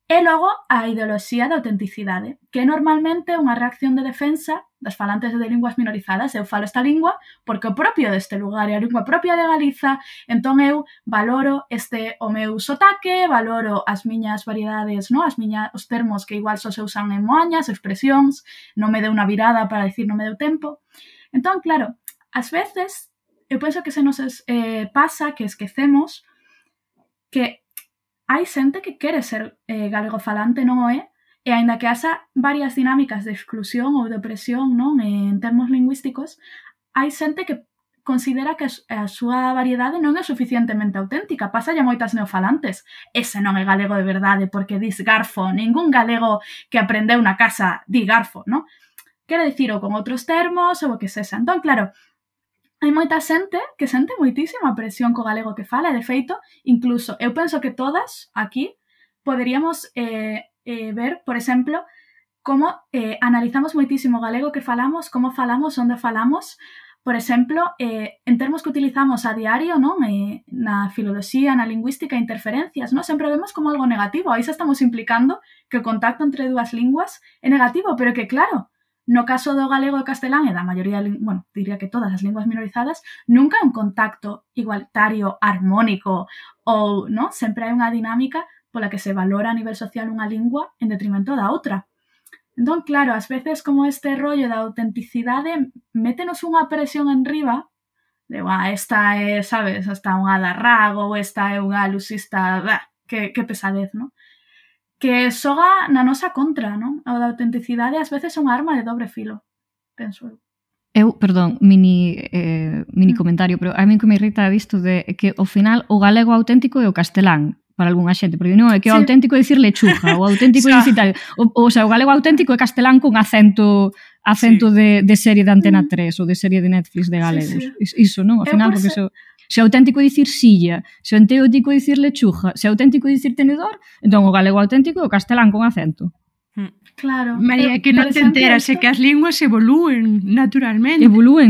E logo a ideoloxía da autenticidade, que é normalmente unha reacción de defensa das falantes de linguas minorizadas. Eu falo esta lingua porque o propio deste lugar é a lingua propia de Galiza, entón eu valoro o meu sotaque, valoro as miñas variedades, non? Os termos que igual só se usan en moañas, expresións, non me deu unha virada para dicir non me deu tempo. Entón, claro, ás veces eu penso que se nos pasa que esquecemos que hai xente que quere ser galegofalante, non o é, e aínda que haxa varias dinámicas de exclusión ou de opresión, non, en termos lingüísticos, hai xente que considera que a súa variedade non é suficientemente auténtica. Pasa ya moitas neofalantes. Ese non é galego de verdade porque dis garfo. Ningún galego que aprendeu na casa di garfo, non? Quere dicir ou con outros termos ou o que sexa. Entón, claro, hai moita xente que sente moitísima presión co galego que fala, e de feito, incluso, eu penso que todas aquí poderíamos ver, por exemplo, como analizamos moitísimo o galego que falamos, como falamos, onde falamos, por exemplo, en termos que utilizamos a diario, non? Na filoloxía, na lingüística, interferencias, non? Sempre vemos como algo negativo, aí xa estamos implicando que o contacto entre dúas linguas é negativo, pero que claro, no caso do galego e castelán e da maioría, bueno, diría que todas as linguas minorizadas, nunca hai un contacto igualitario, armónico, ou, non? Sempre hai unha dinámica pola que se valora a nivel social unha lingua en detrimento da outra. Entón, claro, ás veces como este rollo da autenticidade métenos unha presión en riba de, esta é, sabes, esta unha darrago, ou esta é unha alusista, que pesadez, non? Que xoga na nosa contra, non? A da autenticidade ás veces é unha arma de dobre filo, penso eu. Perdón, mini comentario, pero a mí que me irrita isto de que ao final o galego auténtico é o castelán para algunha xente, porque non é que o auténtico é dicir lechuga, o auténtico é dicir tal, o sea, o galego auténtico é castelán con acento de serie de Antena 3 ou de serie de Netflix de galegos. Iso, non? Ao final, porque se é auténtico é dicir silla, se é auténtico é dicir lechuga, se é auténtico é dicir tenedor, entón o galego auténtico é o castelán con acento. Claro. María, que non te enteras que as linguas evolúen naturalmente.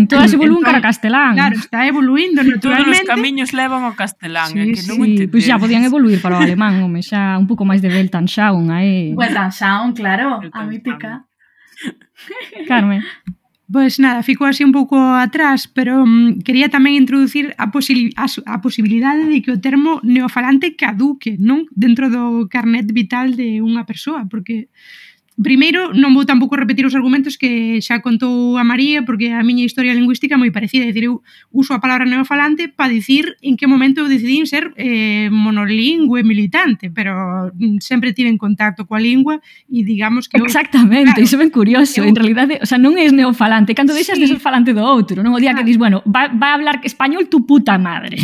Todas evolúen cara a castelán. Claro, está evoluindo naturalmente. Todos os camiños levan ao castelán, sí, que non entendes. Pois xa podían evoluir para o alemán, home, xa un pouco máis de Weltanschauung aí. Weltanschauung, claro, a mítica. Carmen. Pois nada, ficou así un pouco atrás, pero quería tamén introducir a posibilidade de que o termo neofalante caduque, non? Dentro do carnet vital de unha persoa, porque primeiro, non vou tampouco repetir os argumentos que xa contou a María, porque a miña historia lingüística é moi parecida, é dicir, eu uso a palabra neofalante para dicir en que momento eu decidín ser monolingüe militante, pero sempre tive en contacto coa lingua e digamos que... Exactamente, iso é ben curioso, en realidade, o sea, non és neofalante, cando deixas de ser falante do outro, non? O día que dis, bueno, va a hablar español tu puta madre.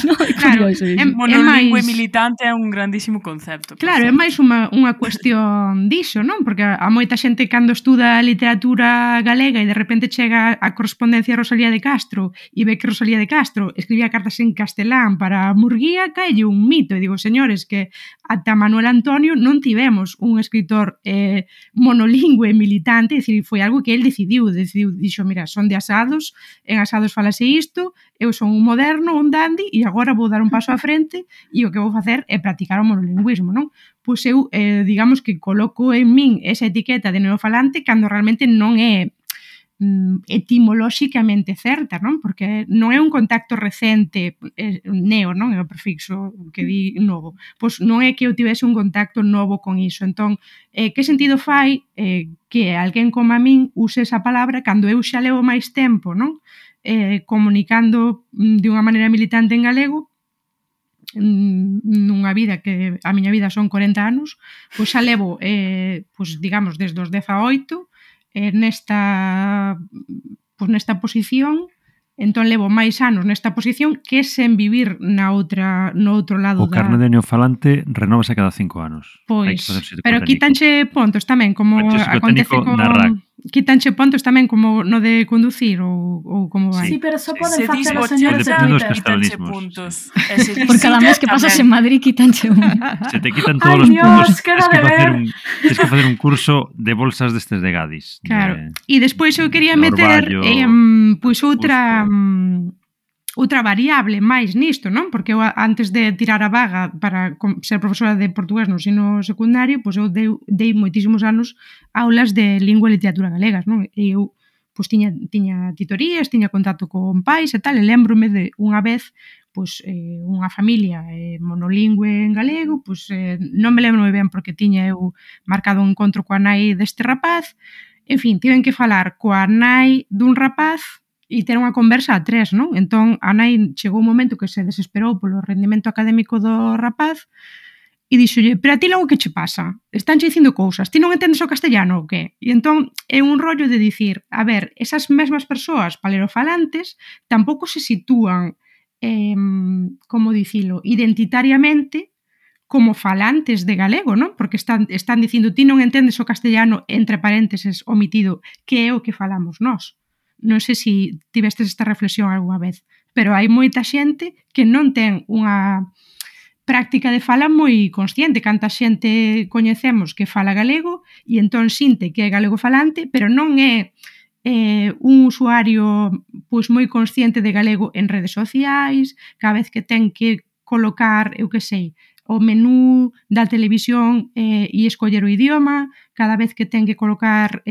Non, é curioso iso. Monolingüe militante é un grandísimo concepto. Claro, é máis unha cuestión diso, non? Porque a moita xente cando estuda literatura galega e de repente chega a correspondencia a Rosalía de Castro e ve que Rosalía de Castro escribía cartas en castelán para Murguía, caelle un mito. E digo, señores, que ata Manuel Antonio non tivemos un escritor monolingüe militante, é dicir, foi algo que el decidiu, dixo, mira, son de Asados, en Asados falase isto, eu son un moderno, un dandy, e agora vou dar un paso á frente e o que vou facer é practicar o monolingüismo, non? Pois eu, digamos que coloco en min esa etiqueta de neofalante cando realmente non é etimolóxicamente certa, non? Porque non é un contacto recente, neo, non? É o prefixo que di novo. Pois non é que eu tivese un contacto novo con iso. Entón, que sentido fai que alguén como a min use esa palabra cando eu xa levo máis tempo, non? Comunicando de unha maneira militante en galego, nunha vida que a miña vida son 40 anos, pois xa levo, pois digamos, desde os 18 nesta posición, entón levo máis anos nesta posición que sen vivir no outro lado O carné de neofalante renovase cada 5 anos. Pois, pero quítanche pontos tamén, como acontece con... Quítanche pontos tamén como no de conducir ou como vai? Sí, pero só poden facer os señores de quítanche puntos. Por cada mes que pasas en Madrid quítanche un. Se te quitan todos os puntos, tens que facer un curso de bolsas destes de Gadis. Claro. E despois eu quería meter pois outra variable máis nisto, non? Porque eu antes de tirar a vaga para ser profesora de portugués no ensino secundario, pois eu dei moitísimos anos aulas de lingua e literatura galegas, non? E eu pois tiña titorías, tiña contacto con pais e tal, e lembrome de unha vez pois unha familia monolingüe en galego, pois non me lembro moi ben porque tiña eu marcado un encontro coa nai deste rapaz, en fin, tiven que falar coa nai dun rapaz e ter unha conversa a tres, non? Entón, a nai chegou un momento que se desesperou polo rendimento académico do rapaz e dixolle, pero a ti logo que che pasa? Estánche dicindo cousas, ti non entendes o castellano ou que? E entón, é un rollo de dicir, a ver, esas mesmas persoas palerofalantes tampouco se sitúan, como dicilo, identitariamente como falantes de galego, non? Porque están dicindo, ti non entendes o castellano, entre parénteses, omitido, que é o que falamos nós. Non sei se tivestes esta reflexión algunha vez, pero hai moita xente que non ten unha práctica de fala moi consciente. Canta xente coñecemos que fala galego e entón sinte que é galego falante, pero non é un usuario pois moi consciente de galego en redes sociais, cada vez que ten que colocar, eu que sei, o menú da televisión e escoller o idioma, cada vez que ten que colocar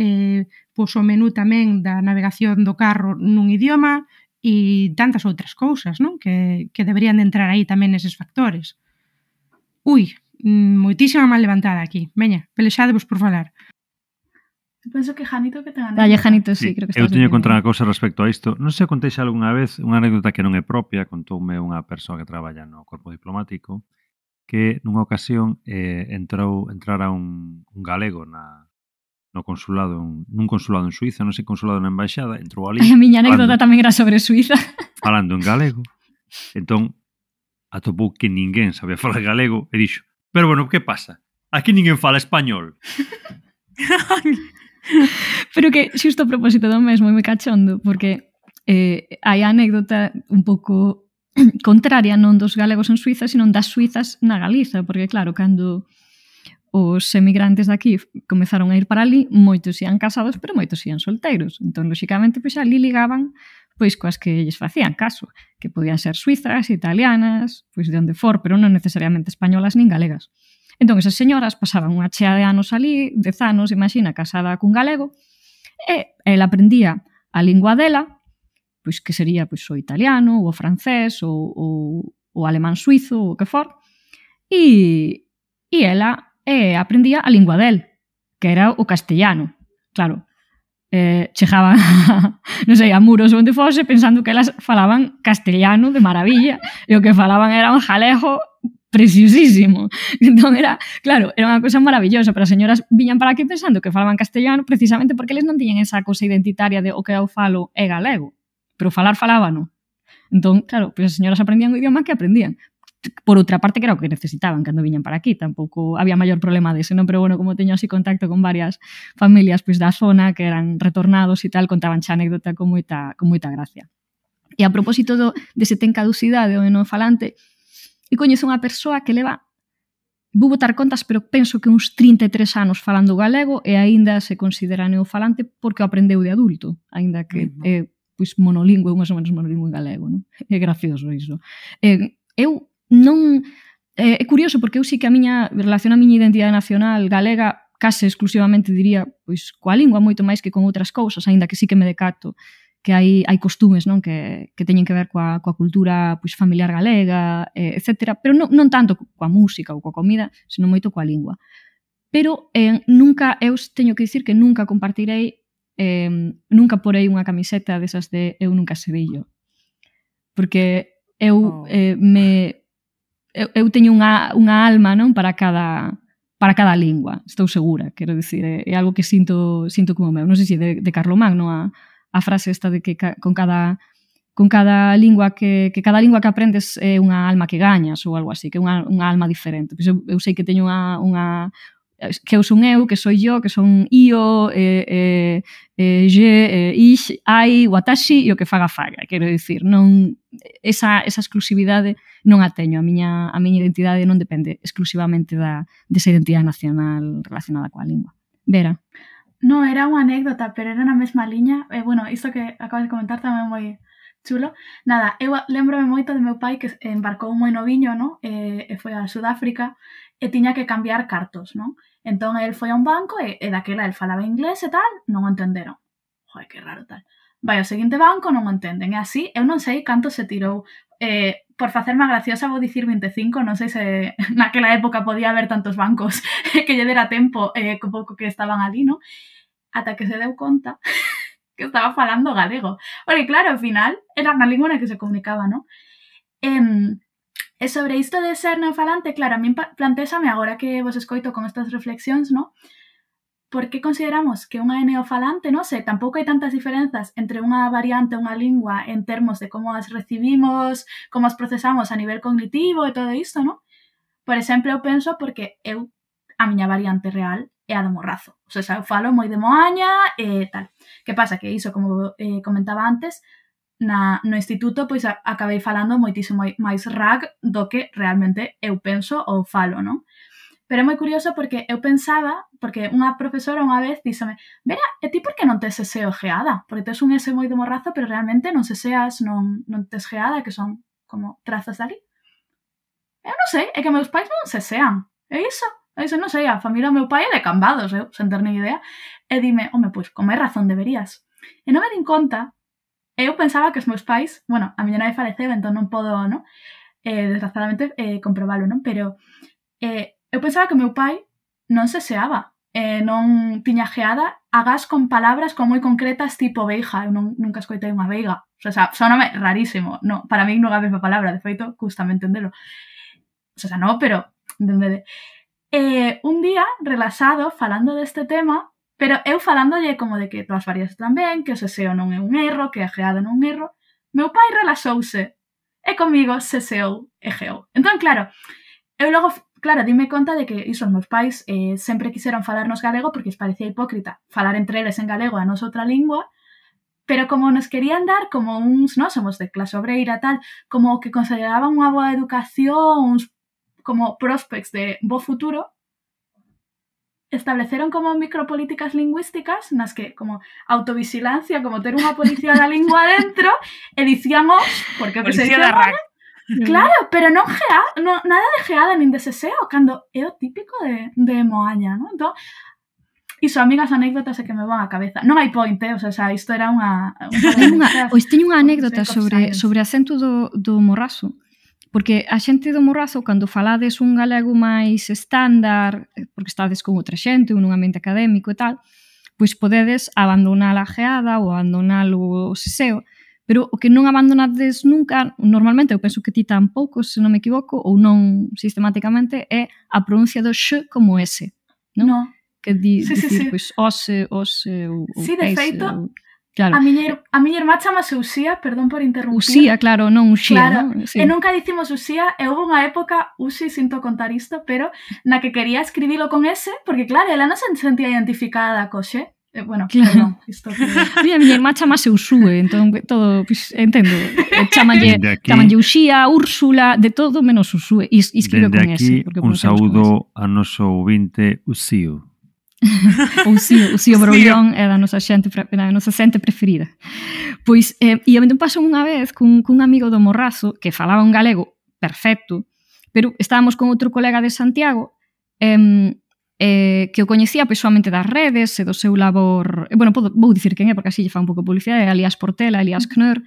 pois o menú tamén da navegación do carro nun idioma e tantas outras cousas, non? Que deberían de entrar aí tamén neses factores. Moitísima mal levantada aquí. Veña, pelexadevos por falar. Penso que Janito que ten anécdota. Dalle, Janito, sí, creo que estás. Eu teño que contar unha cousa respecto a isto. Non sei se contei xa algunha vez unha anécdota que non é propia, contoume unha persoa que traballa no corpo diplomático, que nunha ocasión entrara un galego no consulado, nun consulado en Suiza, non sei, consulado na embaixada, entrou ali. A miña anécdota tamén era sobre Suiza. Falando en galego. Entón, atopou que ninguén sabía falar galego e dixo, pero bueno, que pasa? Aquí ninguén fala español. Pero que xusto a propósito do mesmo é moi cachondo, porque hai a anécdota un pouco contraria non dos galegos en Suiza, sino das suizas na Galiza, porque claro, cando os emigrantes daqui comezaron a ir para ali, moitos ían casados, pero moitos ían solteiros. Entón, lóxicamente, pois ali ligaban pois coas que lles facían caso, que podían ser suizas, italianas, pois de onde for, pero non necesariamente españolas nin galegas. Entón, esas señoras pasaban unha chea de anos ali, 10 anos, imagina, casada cun galego, e ela aprendía a lingua dela, pois que sería pois o italiano, ou o francés, ou o alemán suizo, ou o que for, e ela aprendía a lingua del, que era o castellano. Claro, chegaban non sei, a muros onde fose pensando que elas falaban castellano de maravilla e o que falaban era un jalego preciosísimo. Entón era, claro, era unha cosa maravillosa, pero as señoras viñan para aquí pensando que falaban castellano precisamente porque eles non tiñan esa cosa identitaria de o que eu falo é galego, pero falábano. Entón, claro, pois as señoras aprendían o idioma que aprendían. Por outra parte, que era o que necesitaban cando viñan para aquí, tampouco había maior problema dese, non? Pero bueno, como teño así contacto con varias familias pois da zona que eran retornados e tal, contaban xa anécdota con moita gracia. E a propósito dese ten caducidade o non falante, e coñezo unha persoa que leva, vou botar contas, pero penso que uns 33 anos falando galego e aínda se considera neofalante porque o aprendeu de adulto, aínda que é pois monolingüe, máis ou menos monolingüe galego, non? É gracioso iso. Eu non... É curioso porque eu sí que a miña relación a miña identidade nacional galega case exclusivamente diría pois coa lingua moito máis que con outras cousas, aínda que sí que me decato que hai costumes, non, que teñen que ver coa cultura pois familiar galega, etc. Pero non tanto coa música ou coa comida, senón moito coa lingua. Pero nunca, eu teño que dicir que nunca compartirei, nunca porei unha camiseta desas de eu nunca sevillo. Porque eu teño unha alma, non, para cada lingua, estou segura, quero dicir, é algo que sinto como meu. Non sei se de Carlomagno a frase esta de que con cada lingua que cada lingua que aprendes é unha alma que gañas ou algo así, que é unha alma diferente. Pois eu sei que teño unha que eu son eu, que soy yo, que son io, je, ich, ai, watashi e o que faga. Quero dicir, non esa exclusividade non a teño. A miña identidade non depende exclusivamente desa identidade nacional relacionada coa lingua. Vera? No, era unha anécdota, pero era na mesma liña. Bueno, isto que acabas de comentar tamén é moi chulo. Nada, eu lembrome moito de meu pai que embarcou moi noviño, no? E foi a Sudáfrica e tiña que cambiar cartos, non? Entón, el foi a un banco e daquela el falaba inglés e tal, non o entenderon. Joder, que raro tal. Vai ao seguinte banco, non o entenden. E así, eu non sei canto se tirou. Por facerme graciosa vou dicir 25, non sei se naquela época podía haber tantos bancos que lle dera tempo co pouco que estaban ali, non? Ata que se deu conta que estaba falando galego. Porque claro, ao final era na lingua na que se comunicaba, non? E sobre isto de ser neofalante, claro, a min plantésame agora que vos escoito con estas reflexións, non? Por que consideramos que unha é neofalante? Non sei, tampouco hai tantas diferenzas entre unha variante e unha lingua en termos de como as recibimos, como as procesamos a nivel cognitivo e todo isto, non? Por exemplo, eu penso porque a miña variante real é a do morrazo. O sea, eu falo moi de moaña e tal. Que pasa? Que iso, como comentaba antes, no instituto pois acabei falando moitísimo máis rag do que realmente eu penso ou falo, non? Pero é moi curioso porque eu pensaba, porque unha profesora unha vez díxome: Vera, e ti por que non tes ese geada? Porque tes un ese moi de morrazo, pero realmente non seas, non tes geada, que son como trazos dali. Eu non sei, é que meus pais non sean. É iso, non sei, a familia do meu pai é de Cambados, eu, sen ter ni idea. E dime, home, pois, con máis razón deberías. E non me din conta. Eu pensaba que os meus pais, bueno, a miña nai faleceu, entón non podo, non? Desgraciadamente, comprobalo, non? Pero eu pensaba que o meu pai non seseaba, non tiña geada, agás con palabras como moi concretas tipo veiga. Eu nunca escoitei unha veiga. O sea, soname rarísimo. No, para mí non é a mesma palabra, de feito, custame entendelo. O sea, non, pero entendede. Un día, relaxado, falando deste tema, pero eu falándolle como de que todas varias están ben, que o seseo non é un erro, que a geada non é un erro, meu pai relaxouse e comigo seseou e geou. Entón, claro, eu logo, dime conta de que iso, os meus pais sempre quixeron falarnos galego porque os parecía hipócrita falar entre eles en galego a nosa outra lingua, pero como nos querían dar como uns, non, somos de clase obreira tal, como que consideraban unha boa educación, uns como prospects de bo futuro, estableceron como micropolíticas lingüísticas nas que, como autovigilancia, como ter unha policía da lingua dentro, e dicíamos, porque o que se dice agora, claro, pero non nada de geada nin de seseo, cando é o típico de moaña, non? Entón, iso, amigas anécdotas é que me van á cabeza. Non hai point, o sea, isto era unha Pois teño unha anécdota sobre acento do morrazo. Porque a xente do morrazo, cando falades un galego máis estándar, porque estades con outra xente, nun ambiente académico e tal, pois podedes abandonar a geada ou abandonar o seseo, pero o que non abandonades nunca, normalmente, eu penso que ti tampouco, se non me equivoco, ou non sistemáticamente, é a pronuncia do x como S, non? No. Que dicir, pois, ose, ou sí, de feito, claro. A miña irmá chamase Uxía, perdón por interrumpir. Uxía, claro, non Uxía, claro, non? Sí. E nunca dicimos Uxía, e houve unha época, Uxi, sinto contar isto, pero na que quería escribilo con S, porque claro, ela non se sentía identificada co xe. Bueno, claro. Perdón, isto que... Mira, miña irmá chamase Usue, entón todo, pues, entendo. Chamanlle Uxía, Úrsula, de todo menos Usue. E escribe con S. Dende aquí, un saúdo a noso ouvinte Uxío. Uxío Broullón é da nosa xente preferida. Pois, e a mí pasou unha vez cun amigo do Morrazo que falaba un galego perfecto, pero estábamos con outro colega de Santiago e que o coñecía persoalmente das redes e do seu labor, bueno, vou dicir quen é porque así lle fa un pouco de publicidade, é Elias Portela, Elias Knör,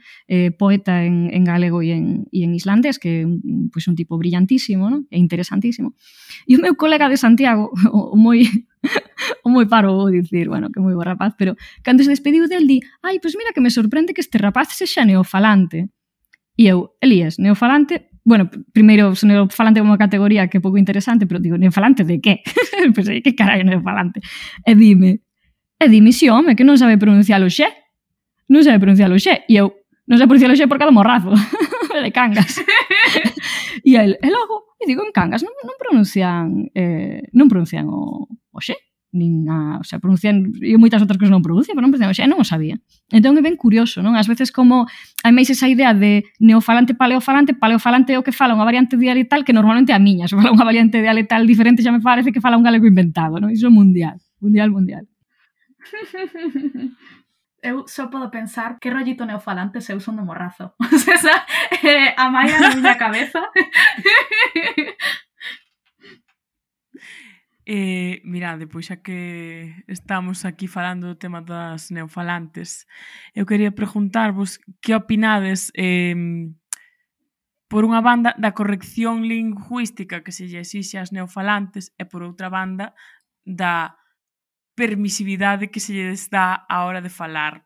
poeta en galego e en islandés, que é un tipo brillantísimo, non? E interesantísimo. E o meu colega de Santiago, o moi paro vou dicir, bueno, que moi bo rapaz, pero cando se despediu del di, ai, pois mira que me sorprende que este rapaz sexa neofalante. E eu, Elías, neofalante, bueno, primeiro, neofalante é unha categoría que é pouco interesante, pero digo, neofalante de qué? Pois aí, que carallo neofalante? E dime, si, home, que non sabe pronunciar o xe. Non sabe pronunciar o xe. E eu, non sabe pronunciar o xe por cada morrazo. De Cangas. E el, e logo, e digo, en Cangas non pronuncian o xe. O sea, pronuncian, e moitas outras cousas non pronuncian, pero non pronuncian o xe, non o sabía. Entón é ben curioso, non? Ás veces como hai máis esa idea de neofalante, paleofalante é o que fala unha variante dialectal que normalmente é a miña. Se fala unha variante dialectal diferente xa me parece que fala un galego inventado, non? Iso é mundial. Eu só podo pensar que rollito neofalante se eu son de morrazo. O sea, esa a maia na miña cabeza. Mirade, pois xa que estamos aquí falando do tema das neofalantes, eu quería preguntarvos que opinades por unha banda da corrección lingüística que se lle exixe ás neofalantes e por outra banda da permisividade que se lles dá á hora de falar.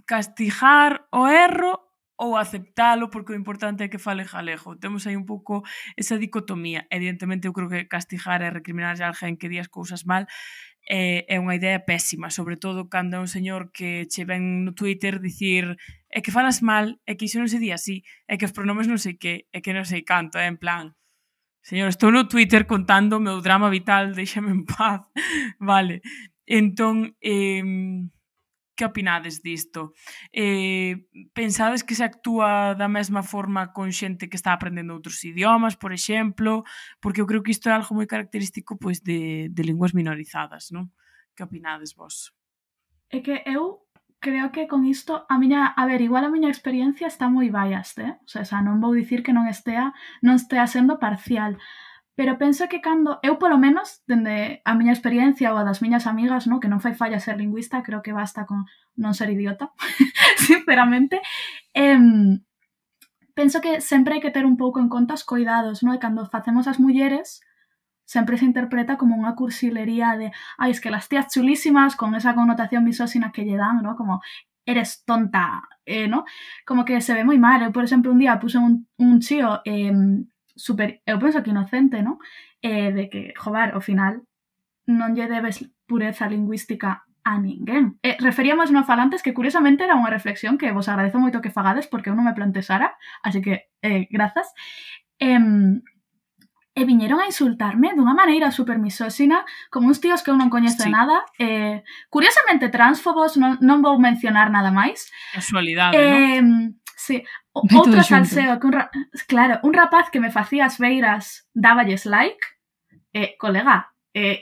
Castigar o erro ou aceptalo porque o importante é que fale galego. Temos aí un pouco esa dicotomía. Evidentemente, eu creo que castigar e recriminar a alguén que di as cousas mal é unha idea pésima, sobre todo cando é un señor que che ven no Twitter dicir é que falas mal, é que iso non se di así, é que os pronomes non sei que, é que non sei canto, é en plan, señor, estou no Twitter contando o meu drama vital, déxame en paz, vale. Entón, que opinades disto? Pensades que se actúa da mesma forma con xente que está aprendendo outros idiomas, por exemplo? Porque eu creo que isto é algo moi característico pois de linguas minorizadas, non? Que opinades vos? É que eu creo que con isto igual a miña experiencia está moi biased, O sea, non vou dicir que non estea sendo parcial, pero penso que cando eu, polo menos, dende a miña experiencia ou a das miñas amigas, que non fai falla ser lingüista, creo que basta con non ser idiota, sinceramente, penso que sempre hai que ter un pouco en conta os coidados, E cando facemos as mulleres, sempre se interpreta como unha cursilería de es que las tías chulísimas, con esa connotación misóxina que lle dan, Como eres tonta, Como que se ve moi mal. Eu, por exemplo, un día puse un chío eu penso que inocente, de que, joder, ao final non lle debes pureza lingüística a ninguén. Referíamos neofalantes que, curiosamente, era unha reflexión que vos agradezo moito que fagades porque eu non me plantexara, así que, grazas. E viñeron a insultarme dunha maneira super misóxina, como uns tíos que eu non coñezo nada, curiosamente transfobos, non vou mencionar nada máis. Casualidade, non? Sí, outro salseo que un rapaz que me facía as beiras dáballes like, colega,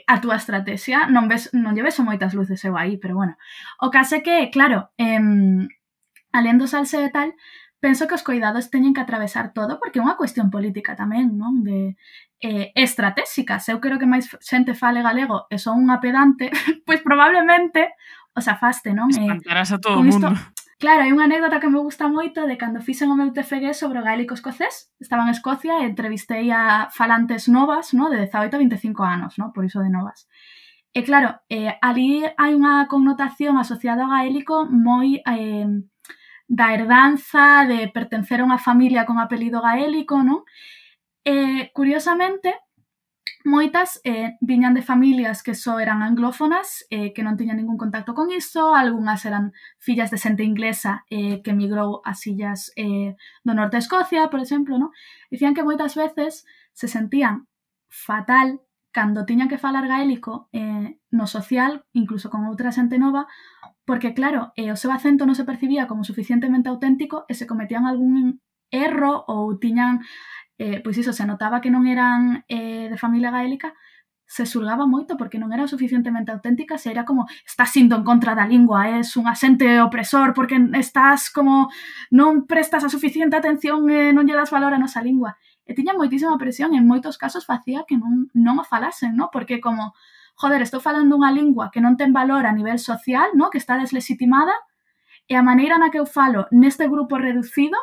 a túa estrategia non lle ves moitas luces eu aí, pero bueno. O caso é que, claro, alén do salseo e tal, penso que os coidados teñen que atravesar todo porque é unha cuestión política tamén, de estratégicas. Eu creo que máis xente fale galego e son unha pedante, pois probablemente os afaste, non? Espantarás a todo o mundo. Claro, hai unha anécdota que me gusta moito de cando fixen o meu TFG sobre o gaélico escocés. Estaba en Escocia e entrevistei a falantes novas, de 18 a 25 anos, por iso de novas. E claro, ali hai unha connotación asociada ao gaélico moi da herdanza, de pertencer a unha familia con apelido gaélico, E, curiosamente, moitas viñan de familias que só eran anglófonas, que non tiñan ningún contacto con iso, algunhas eran fillas de xente inglesa que emigrou ás illas do norte de Escocia, por exemplo, Dicían que moitas veces se sentían fatal cando tiñan que falar gaélico no social, incluso con outra xente nova, porque, claro, o seu acento non se percibía como suficientemente auténtico e se cometían algún erro ou tiñan... pois iso, se notaba que non eran de familia gaélica, se xulgaba moito porque non eran suficientemente auténticas e era como, estás indo en contra da lingua, és un asente opresor porque estás como, non prestas a suficiente atención e non lle das valor a nosa lingua. e tiña moitísima presión e en moitos casos facía que non o falasen, ¿no? Porque como, joder, estou falando unha lingua que non ten valor a nivel social, ¿no? Que está deslegitimada, e a maneira na que eu falo neste grupo reducido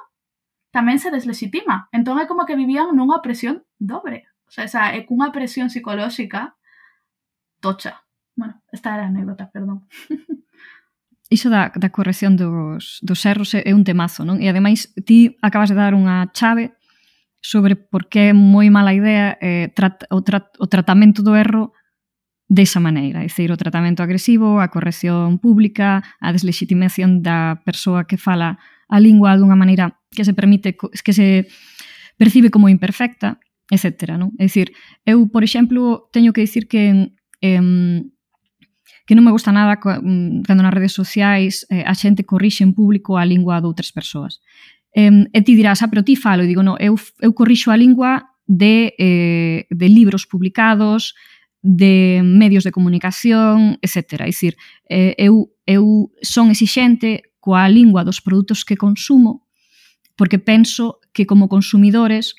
tamén se deslegitima. Entón é como que vivían nunha opresión dobre. O sea, é cunha presión psicolóxica tocha. Bueno, esta era a anécdota, perdón. Iso da corrección dos erros é un temazo, non? E ademais, ti acabas de dar unha chave sobre por que é moi mala idea o tratamento do erro desa maneira, é dicir, o tratamento agresivo, a corrección pública, a deslegitimación da persoa que fala a lingua dunha maneira que se percibe como imperfecta, etc. Non? É dicir, eu, por exemplo, teño que dicir que non me gusta nada cando nas redes sociais a xente corrixe en público a lingua de outras persoas. E ti dirás, pero ti falo, e digo, non, eu corrixo a lingua de libros publicados, de medios de comunicación, etc. É dicir, eu son exixente coa lingua dos produtos que consumo porque penso que como consumidores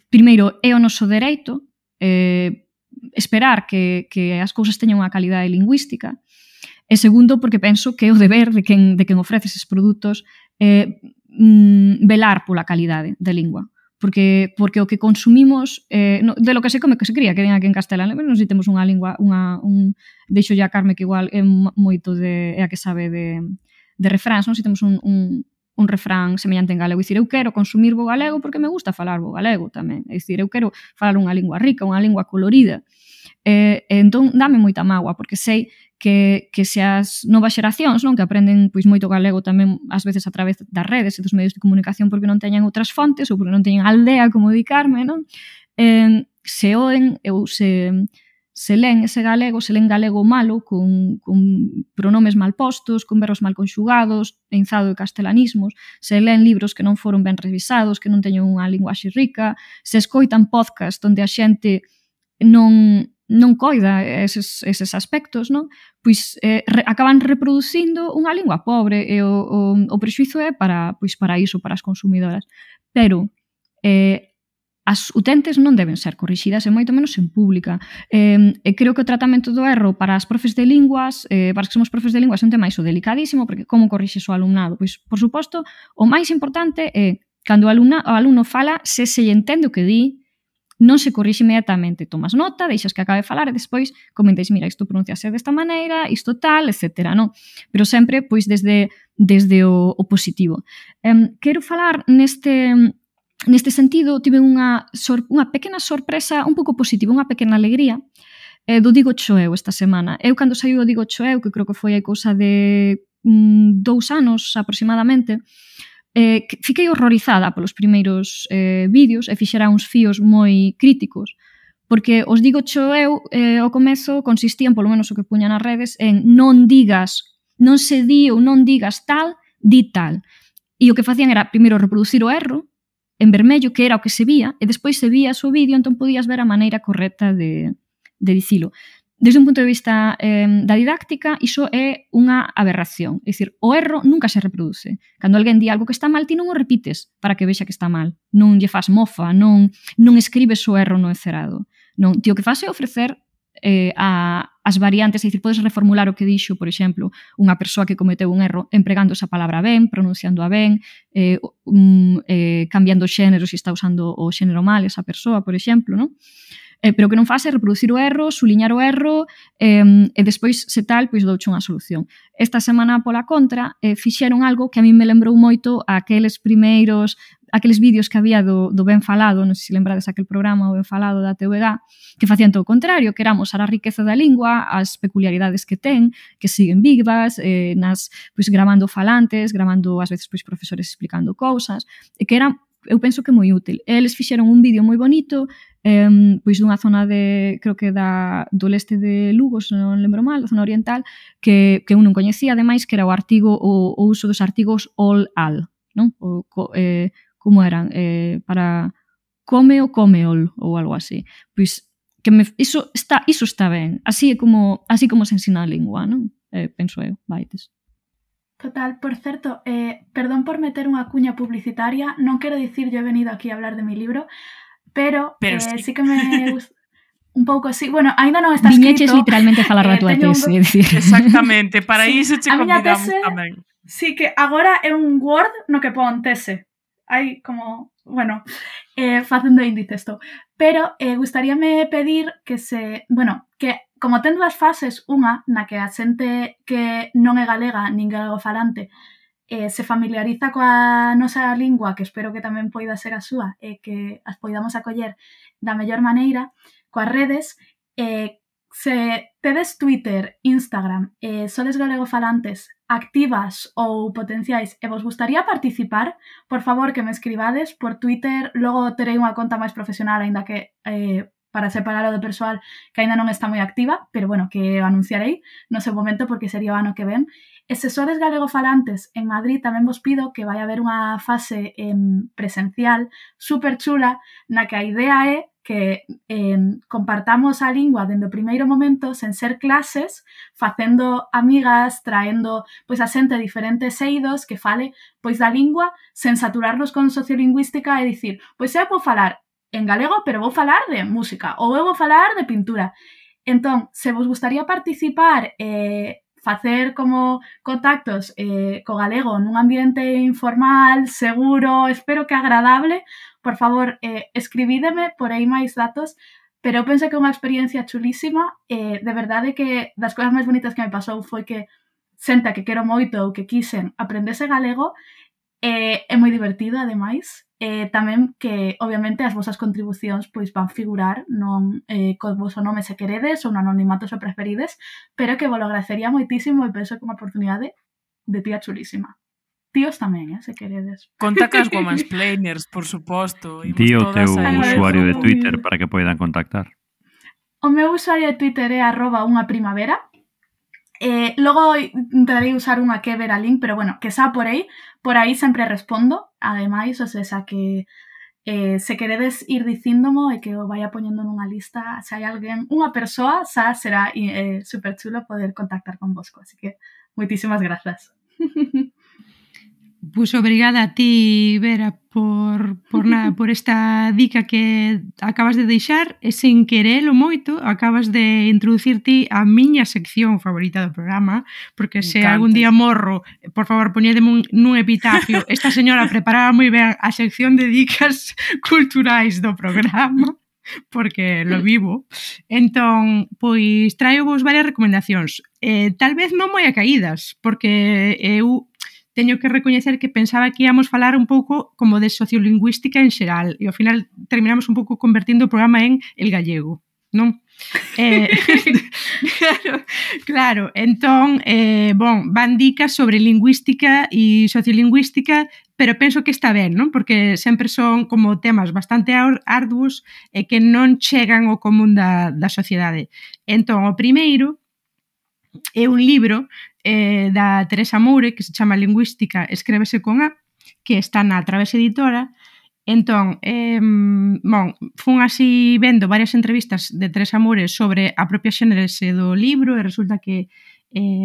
primeiro é o noso dereito esperar que as cousas teñan unha calidade lingüística e segundo porque penso que é o deber de quen ofrece esses produtos velar pola calidade da lingua. Porque o que consumimos de lo que se come que se cría, que ven aquí en Castelán, non sei, temos unha lingua, deixo ya a Carme que igual é moito é a que sabe de refráns, non sei, temos un refrán semellante en galego, é dicir, eu quero consumir bo galego porque me gusta falar bo galego tamén, é dicir, eu quero falar unha lingua rica, unha lingua colorida, entón dame moita mágoa, porque sei que se as novas xeracións, non, que aprenden pois moito galego tamén ás veces a través das redes e dos medios de comunicación porque non teñen outras fontes ou porque non teñen aldea como dicarme, non? Se oen ou se len ese galego, se len galego malo con pronomes mal postos, con verbos mal conxugados, enzado de castelanismos, se len libros que non foron ben revisados, que non teñen unha linguaxe rica, se escoitan podcast onde a xente non coida eses aspectos, non? Pois acaban reproducindo unha lingua pobre e o prexuízo é para iso, para as consumidoras. Pero as utentes non deben ser corrixidas e moito menos en pública. E creo que o tratamento do erro para as profes de linguas, para as que somos profes de linguas, é un tema iso delicadísimo, porque como corrixes o alumnado? Pois, por suposto, o máis importante é cando o alumno fala, se lle entende o que di, non se corrixe inmediatamente, tomas nota, deixas que acabe de falar e despois comentáis, mira, isto pronunciase desta maneira, isto tal, etc. Non? Pero sempre pois desde o positivo. Quero falar neste sentido, tive unha pequena sorpresa, un pouco positiva, unha pequena alegría do Digo Choeu esta semana. Eu cando saiu o Digo Choeu, que creo que foi a cousa de 2 anos aproximadamente, fiquei horrorizada polos primeiros vídeos e fixera uns fíos moi críticos, porque os Digo Choeu ao comezo consistían, polo menos o que puña nas redes, en non se di ou non digas tal, di tal. E o que facían era, primeiro, reproducir o erro en vermello, que era o que se vía, e despois se vía o vídeo, entón podías ver a maneira correcta de dicilo. Desde un punto de vista da didáctica, iso é unha aberración. É dicir, o erro nunca se reproduce. Cando alguén di algo que está mal, ti non o repites para que vexa que está mal. Non lle fas mofa, non escribes o erro no encerado. Non, ti o que faz é ofrecer as variantes, é dicir, podes reformular o que dixo, por exemplo, unha persoa que cometeu un erro empregando esa palabra ben, pronunciándoa ben, cambiando xénero se está usando o xénero mal esa persoa, por exemplo, non? Pero o que non faz é reproducir o erro, suliñar o erro e despois, se tal, pois douche unha solución. Esta semana, pola contra, fixeron algo que a mí me lembrou moito aqueles vídeos que había do Ben Falado, non sei se lembrades aquel programa, o Ben Falado da TVG, que facían todo o contrario, que era amosar a riqueza da lingua, as peculiaridades que ten, que siguen vivas, pois gravando falantes, gravando ás veces pois profesores explicando cousas, e que era, eu penso que moi útil. Eles fixeron un vídeo moi bonito, pois dunha zona creo que do leste de Lugo, se non lembro mal, da zona oriental, que eu non coñecía, ademais, que era o uso dos artigos all-al, non? Como eran? Para come ou comeol, ou algo así. Pois, iso está ben. Así como se ensina a lingua, non? Penso eu, vaites. Total, por certo, perdón por meter unha cuña publicitaria, non quero dicir yo he venido aquí a hablar de mi libro, pero sí que me gusta un pouco así. Bueno, ainda non está Viñeches escrito. literalmente a falar da túa tese, é dicir. Exactamente, para Sí, iso che a miña convidamos tese- tamén. Sí, que agora é un Word no que pon tese. Hai como, bueno, facendo índice isto. Pero gustaríame pedir que que como ten dúas fases, unha na que a xente que non é galega nin galegofalante se familiariza coa nosa lingua, que espero que tamén poida ser a súa, e que as poidamos acoller da mellor maneira, coas redes, se tedes Twitter, Instagram, sodes galegofalantes, activas ou potenciais e vos gustaría participar, por favor que me escribades por Twitter, logo terei unha conta máis profesional, aínda que para separalo do persoal que aínda non está moi activa, pero bueno, que o anunciarei no seu momento porque sería o ano que ven. E se sodes galegofalantes en Madrid tamén vos pido que vai haber unha fase presencial super chula na que a idea é que compartamos a lingua dende o primeiro momento sen ser clases, facendo amigas, traendo pois a xente de diferentes eidos que fale pois da lingua sen saturarnos con sociolingüística e dicir, pois eu vou falar en galego, pero vou falar de música ou eu vou falar de pintura. Entón, se vos gustaría participar facer como contactos co galego nun ambiente informal, seguro, espero que agradable, por favor, escribídeme por aí máis datos, pero eu penso que é unha experiencia chulísima, de verdade que das cousas máis bonitas que me pasou foi que xente que quero moito ou que quixen aprendese galego, é moi divertido, ademais, tamén que, obviamente, as vosas contribucións pois van figurar non co voso nome se queredes ou no anonimato se preferides, pero que vos lo agradecería moitísimo e penso que unha oportunidade de tía chulísima. Tíos tamén, se queredes. Conta cas womansplainers, por suposto. Di o teu usuario de Agradezco Twitter moito. para que poidan contactar. O meu usuario de Twitter é @unhaprimavera. Logo intentarei usar unha que ver a link, pero bueno, que xa por aí sempre respondo, ademais, o sea, que se queredes ir dicíndomo e que o vaya poñendo nunha lista, se hai alguén, unha persoa, xa será super chulo poder contactar con vosco, así que moitísimas grazas. Pois obrigada a ti, Vera, por esta dica que acabas de deixar e sen querelo moito acabas de introducir ti a miña sección favorita do programa, porque se algún día morro, por favor, poñedeme nun epitafio, esta señora preparaba moi ben a sección de dicas culturais do programa, porque lo vivo. Entón, pois traio vos varias recomendacións. Tal vez non moi acaídas, porque eu teño que recoñecer que pensaba que íamos falar un pouco como de sociolingüística en xeral e ao final terminamos un pouco convertindo o programa en el gallego, non? Claro, entón, van dicas sobre lingüística e sociolingüística, pero penso que está ben, non? Porque sempre son como temas bastante arduos e que non chegan ao común da sociedade. Entón, o primeiro é un libro da Teresa Moure que se chama Lingüística, escrévese con A, que está na Través Editora. Entón, fun así vendo varias entrevistas de Teresa Moure sobre a propia xénese do libro e resulta que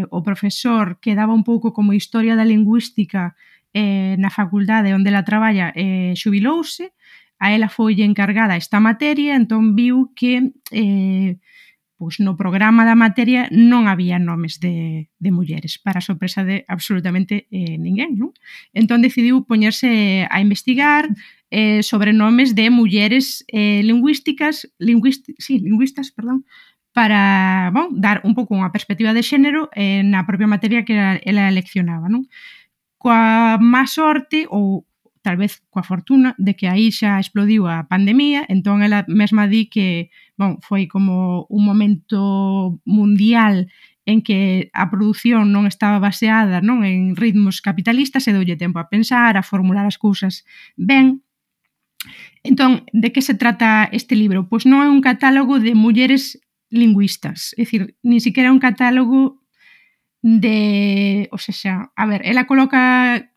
o profesor que daba un pouco como historia da lingüística na facultade onde ela traballa xubilouse, a ela foi encargada esta materia, entón viu que pois no programa da materia non había nomes de mulleres, para a sorpresa de absolutamente ninguén, non? Entón decidiu poñerse a investigar sobre nomes de mulleres lingüistas, para dar un pouco unha perspectiva de xénero na propia materia que ela leccionaba, non? Coa má sorte, ou tal vez coa fortuna, de que aí xa explodiu a pandemia, entón ela mesma di que foi como un momento mundial en que a produción non estaba baseada en ritmos capitalistas e doulle tempo a pensar, a formular as cousas ben. Entón, de que se trata este libro? Pois non é un catálogo de mulleres lingüistas, é dicir, ni siquiera un catálogo de... O sea, a ver, ela coloca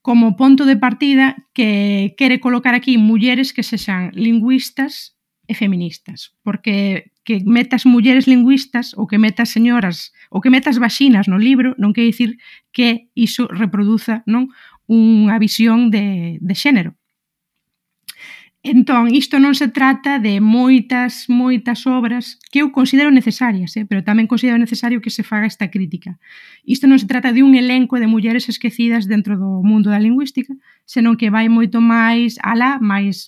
como ponto de partida que quere colocar aquí mulleres que sexan lingüistas e feministas, porque que metas mulleres lingüistas ou que metas señoras ou que metas vaxinas no libro non quer dicir que iso reproduza, non, unha visión de xénero. Entón, isto non se trata de moitas obras que eu considero necesarias, pero tamén considero necesario que se faga esta crítica. Isto non se trata de un elenco de mulleres esquecidas dentro do mundo da lingüística, senón que vai moito máis alá, máis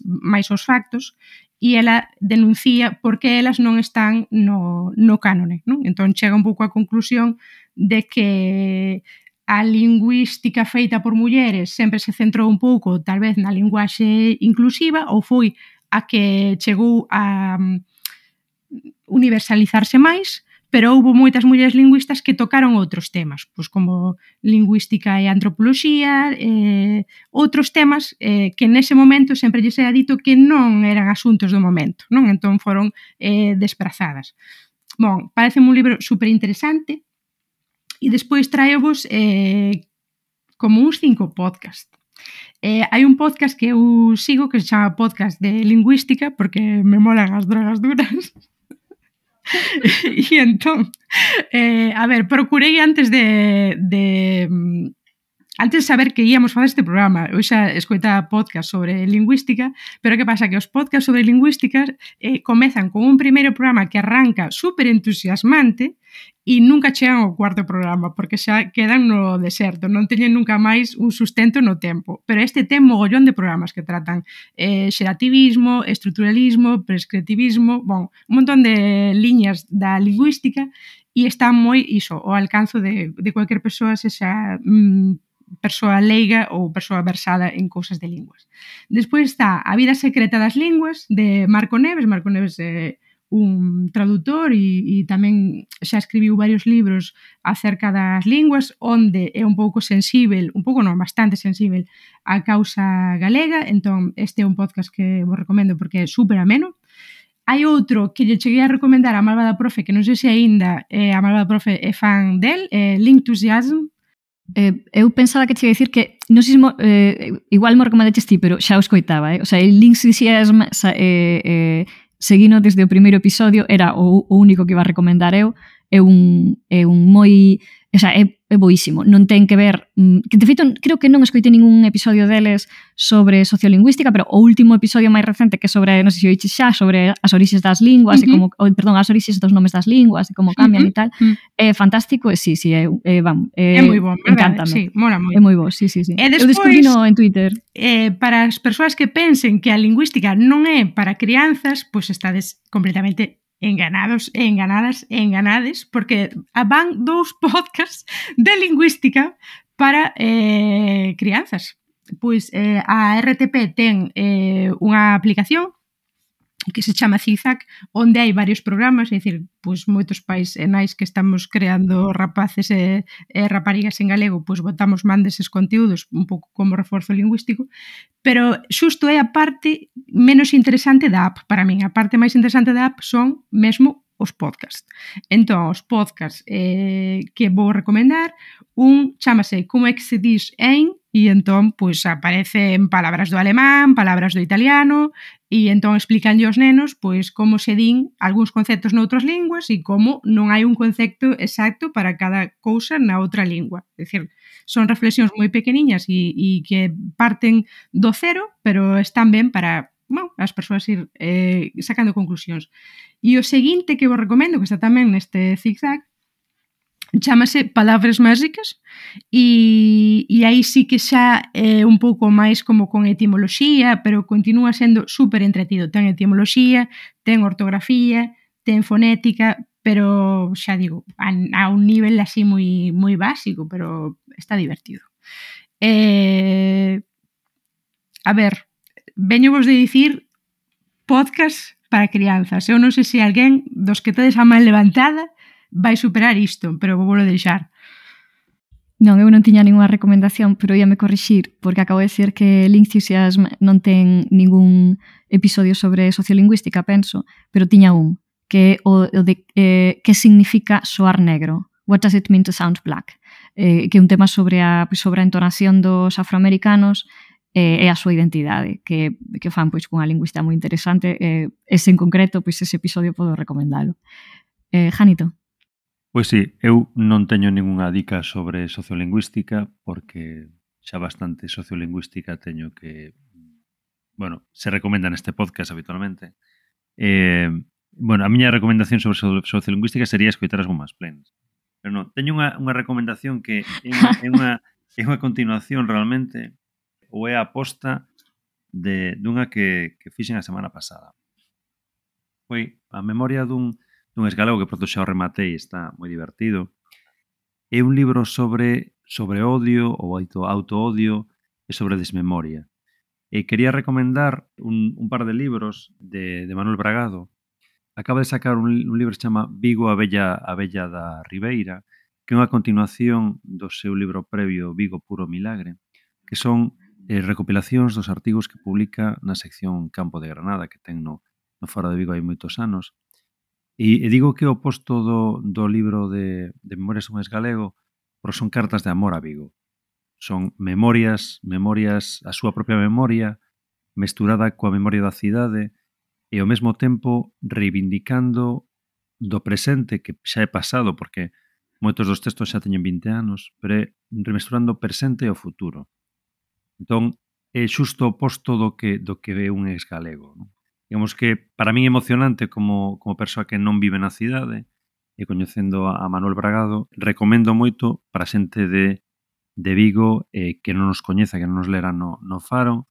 aos factos, e ela denuncia por que elas non están no cánone, non? Entón chega un pouco á conclusión de que a lingüística feita por mulleres sempre se centrou un pouco, tal vez, na linguaxe inclusiva, ou foi a que chegou a universalizarse máis, pero houve moitas mulleres lingüistas que tocaron outros temas, pois como lingüística e antropoloxía, outros temas que nese momento sempre lles era dito que non eran asuntos do momento, non? Entón foron desprazadas. Bon, parece un libro superinteresante e despois traevos como uns 5 podcast. Hai un podcast que eu sigo que se chama Podcast de Lingüística porque me molan as drogas duras. E entón, a ver, procurei antes de saber que íamos facer este programa, eu xa escoitaba podcast sobre lingüística, pero que pasa? Que os podcast sobre lingüística comezan con un primeiro programa que arranca super entusiasmante e nunca chegan ao cuarto programa, porque xa quedan no deserto, non teñen nunca máis un sustento no tempo. Pero este ten mogollón de programas que tratan xerativismo, estruturalismo, prescriptivismo, bon, un montón de liñas da lingüística e está moi iso, ao alcance de cualquier persoa, sexa persoa leiga ou persoa versada en cousas de linguas. Despois está A vida secreta das linguas, de Marco Neves. Marco Neves é un traductor e tamén xa escribiu varios libros acerca das linguas, onde é un pouco sensível, un pouco non, bastante sensível á causa galega, entón este é un podcast que vos recomendo porque é super ameno. Hai outro que lle cheguei a recomendar a Malvada Profe, que non sei se aínda a Malvada Profe é fan del, Lingthusiasm. Eu pensaba que te ia dicir que non sei se igual mo recomendaches ti, pero xa o escoitaba, O sea, el Lingthusiasm seguino desde o primeiro episodio, era o único que iba a recomendar eu, é un moi... O sea, é boísimo, non ten que ver... Que, de feito, creo que non escoitei ningún episodio deles sobre sociolingüística, pero o último episodio máis recente que sobre, non sei se oíches xa, sobre as orixes das linguas, e como, perdón, as orixes dos nomes das linguas, e como cambian e tal, é fantástico, e sí, é moi bon, verdade? Encántame. Sí, mola moi. É moi bo, sí. E despois, eu descubrino en Twitter. Para as persoas que pensen que a lingüística non é para crianzas, pois estades completamente enganados e enganades, porque van 2 podcasts de lingüística para crianzas. Pois a RTP ten unha aplicación que se chama Zigzag, onde hai varios programas, é dicir, pois moitos pais e nais que estamos creando rapaces e raparigas en galego, pois botamos man deses conteúdos un pouco como reforzo lingüístico, pero xusto é a parte menos interesante da app para min. A parte máis interesante da app son mesmo os podcasts. Entón, os podcasts que vou recomendar, un chamase Como é que se dis en, e entón, pois, aparecen palabras do alemán, palabras do italiano, e entón explicanlle aos nenos, pois, como se din algúns conceptos noutras linguas e como non hai un concepto exacto para cada cousa na outra lingua. É dicir, son reflexións moi pequeniñas e que parten do cero, pero están ben para as persoas ir sacando conclusións. E o seguinte que vos recomendo, que está tamén neste Zigzag, chamase Palabras Máxicas e aí sí que xa é un pouco máis como con etimoloxía, pero continúa sendo super entretido. Ten etimoloxía, ten ortografía, ten fonética, pero xa digo, a un nivel así moi básico, pero está divertido. A ver, veño vos de dicir podcast para crianzas. Eu non sei se alguén dos que tedes a man levantada vai superar isto, pero vou volo deixar. Non, eu non tiña ninguna recomendación, pero íame corrixir, porque acabo de decir que Lingthusiasm non ten ningún episodio sobre sociolingüística, penso, pero tiña un, que é o de que significa soar negro. What does it mean to sound black? Que é un tema sobre a entonación dos afroamericanos e a súa identidade, que fan pois cunha lingüista moi interesante. Ese en concreto, pois ese episodio podo recomendalo. Janito. Pois sí, eu non teño ningunha dica sobre sociolingüística porque xa bastante sociolingüística teño que, bueno, se recomenda neste podcast habitualmente. Bueno, a miña recomendación sobre sociolingüística sería escoitar as Women's Planes. Pero non, teño unha recomendación que é unha continuación realmente, ou é a aposta dunha que fixen a semana pasada. Foi a memoria dun esgalego que pronto xa o rematei, está moi divertido. É un libro sobre odio ou auto-odio e sobre desmemoria. E quería recomendar un par de libros de Manuel Bragado. Acaba de sacar un libro que se chama Vigo, a Bella da Ribeira, que é unha continuación do seu libro previo Vigo, puro milagre, que son recopilacións dos artigos que publica na sección Campo de Granada, que ten no Faro de Vigo hai moitos anos. E digo que é o oposto do libro de Memorias un esgalego, porque son cartas de amor a Vigo. Son memorias, a súa propia memoria, mesturada coa memoria da cidade, e ao mesmo tempo reivindicando do presente, que xa é pasado, porque moitos dos textos xa teñen 20 anos, pero é remesturando o presente e o futuro. Entón, é xusto o oposto do que é un exgalego. Non? Digamos que, para min é emocionante como persoa que non vive na cidade, e coñecendo a Manuel Bragado, recomendo moito para a xente de Vigo que non nos coñeza, que non nos lera no Faro,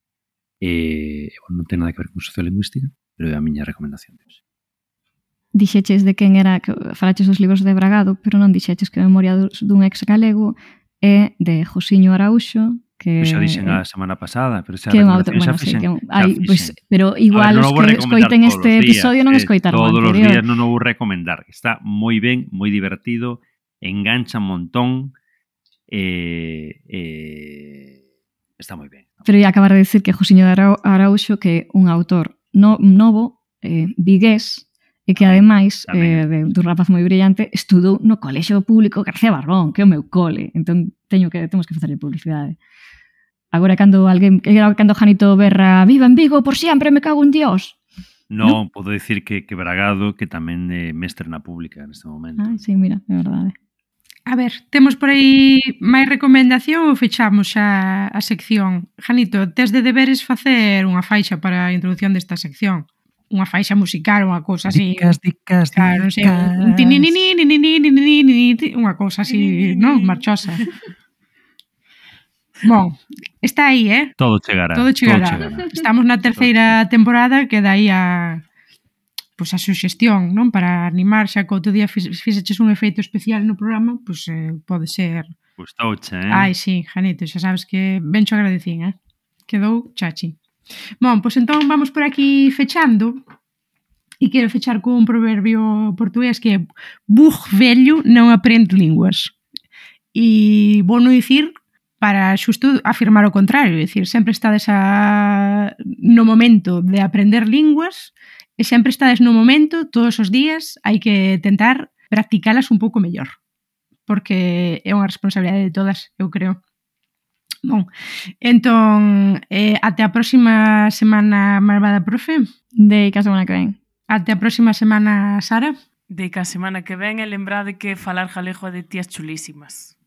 non ten nada que ver con sociolingüística, pero é a miña recomendación de hoxe. Dixeches de quen era, que falaches dos libros de Bragado, pero non dixeches que a memoria dun ex galego é de Josiño Araúxo, que xa dixen a semana pasada, pero xa que é un autor, bueno, sí, pero igual os que escoiten este episodio non escoitaron todos anterior. Todos os días non o vou recomendar. Está moi ben, moi divertido, engancha un montón, está moi ben. Pero ia acabar de decir que Josiño Araúxo, que é un autor novo, vigués, e que ademais dun rapaz moi brillante estudou no Colexio Público García Barbón, que é o meu cole, entón temos que facerle publicidade. Agora cando Janito berra viva en Vigo por sempre, me cago en Dios. Non, podo dicir que Bragado, que tamén é mestre na pública neste momento. Sí, mira, é verdade. A ver, temos por aí máis recomendación ou fechamos xa a sección? Janito, tes de deberes facer unha faixa para a introducción desta sección. Unha faixa musical, unha cousa así. Dicas. Claro, non sei, un tininini, unha cousa así, non? Marchosa. Bon, está aí, Todo chegará. Estamos na terceira temporada, que dai a suxestión, non? Para animar, xa que outro día fixeches un efeito especial no programa, pode ser... Gustouche, Ai, sí, Janito, xa sabes que bencho agradecín, Quedou chachi. Bon, entón vamos por aquí fechando, e quero fechar con un proverbio portugués que é burro vello non aprende linguas. E vou non dicir para xusto afirmar o contrario, é dicir, sempre estades no momento de aprender linguas e sempre estades no momento, todos os días, hai que tentar practicalas un pouco mellor, porque é unha responsabilidade de todas, eu creo. Bon, entón, até a próxima semana, malvada profe. Deica a semana que ven. Até a próxima semana, Sara. Deica a semana que ven e lembrade que falar galego de tías chulísimas.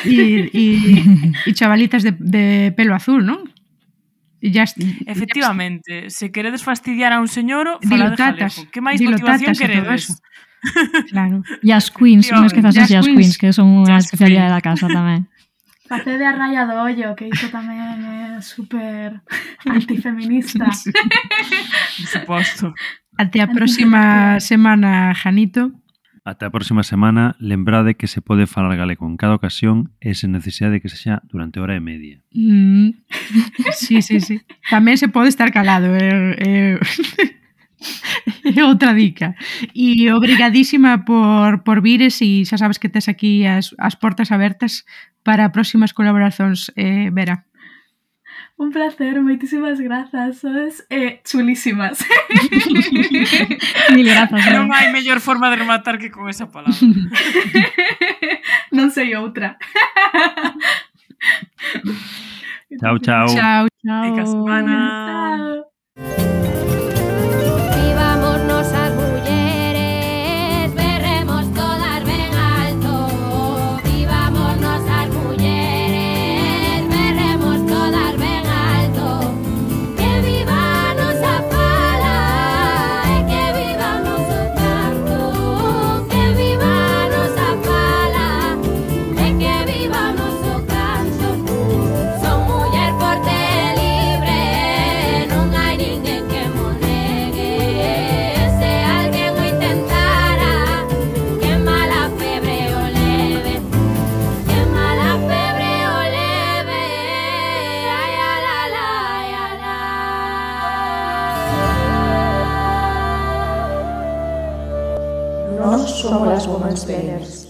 E chavalitas de pelo azul, non? Efectivamente, se queredes fastidiar a un señor, falade galego. Que máis motivación queredes? Claro. E as queens, non esquezas as queens, que son unha especialidade da casa tamén. Facede a raya do ollo, que iso tamén é super antifeminista. Por suposto. Até a próxima semana, Janito. Ata a próxima semana, lembrade que se pode falar galego en cada ocasión e sen necesidade de que sexa durante hora e media. Sí. Tamén se pode estar calado. É outra dica. E obrigadísima por vires e xa sabes que tes aquí as portas abertas para próximas colaboracións, Vera. Un placer, moitísimas grazas, sois chulísimas. Mil grazas. Non hai mellor forma de rematar que con esa palabra. Non sei outra. Chao, chao. Chao. Fica a semana. Chao. Vivámonos as mulleres, berremos todas ben alto. Vivámonos as mulleres, berremos todas ben alto. Que viva a nosa fala e que viva o noso canto. Que viva a nosa fala e que viva o noso canto. Son muller forte e libre, non hai ninguén que mo negue. Se alguén o intentara, que mala febre o leve. Que mala febre o leve. Ai, ala, la, ai, ala. Nós somos as Womansplainers.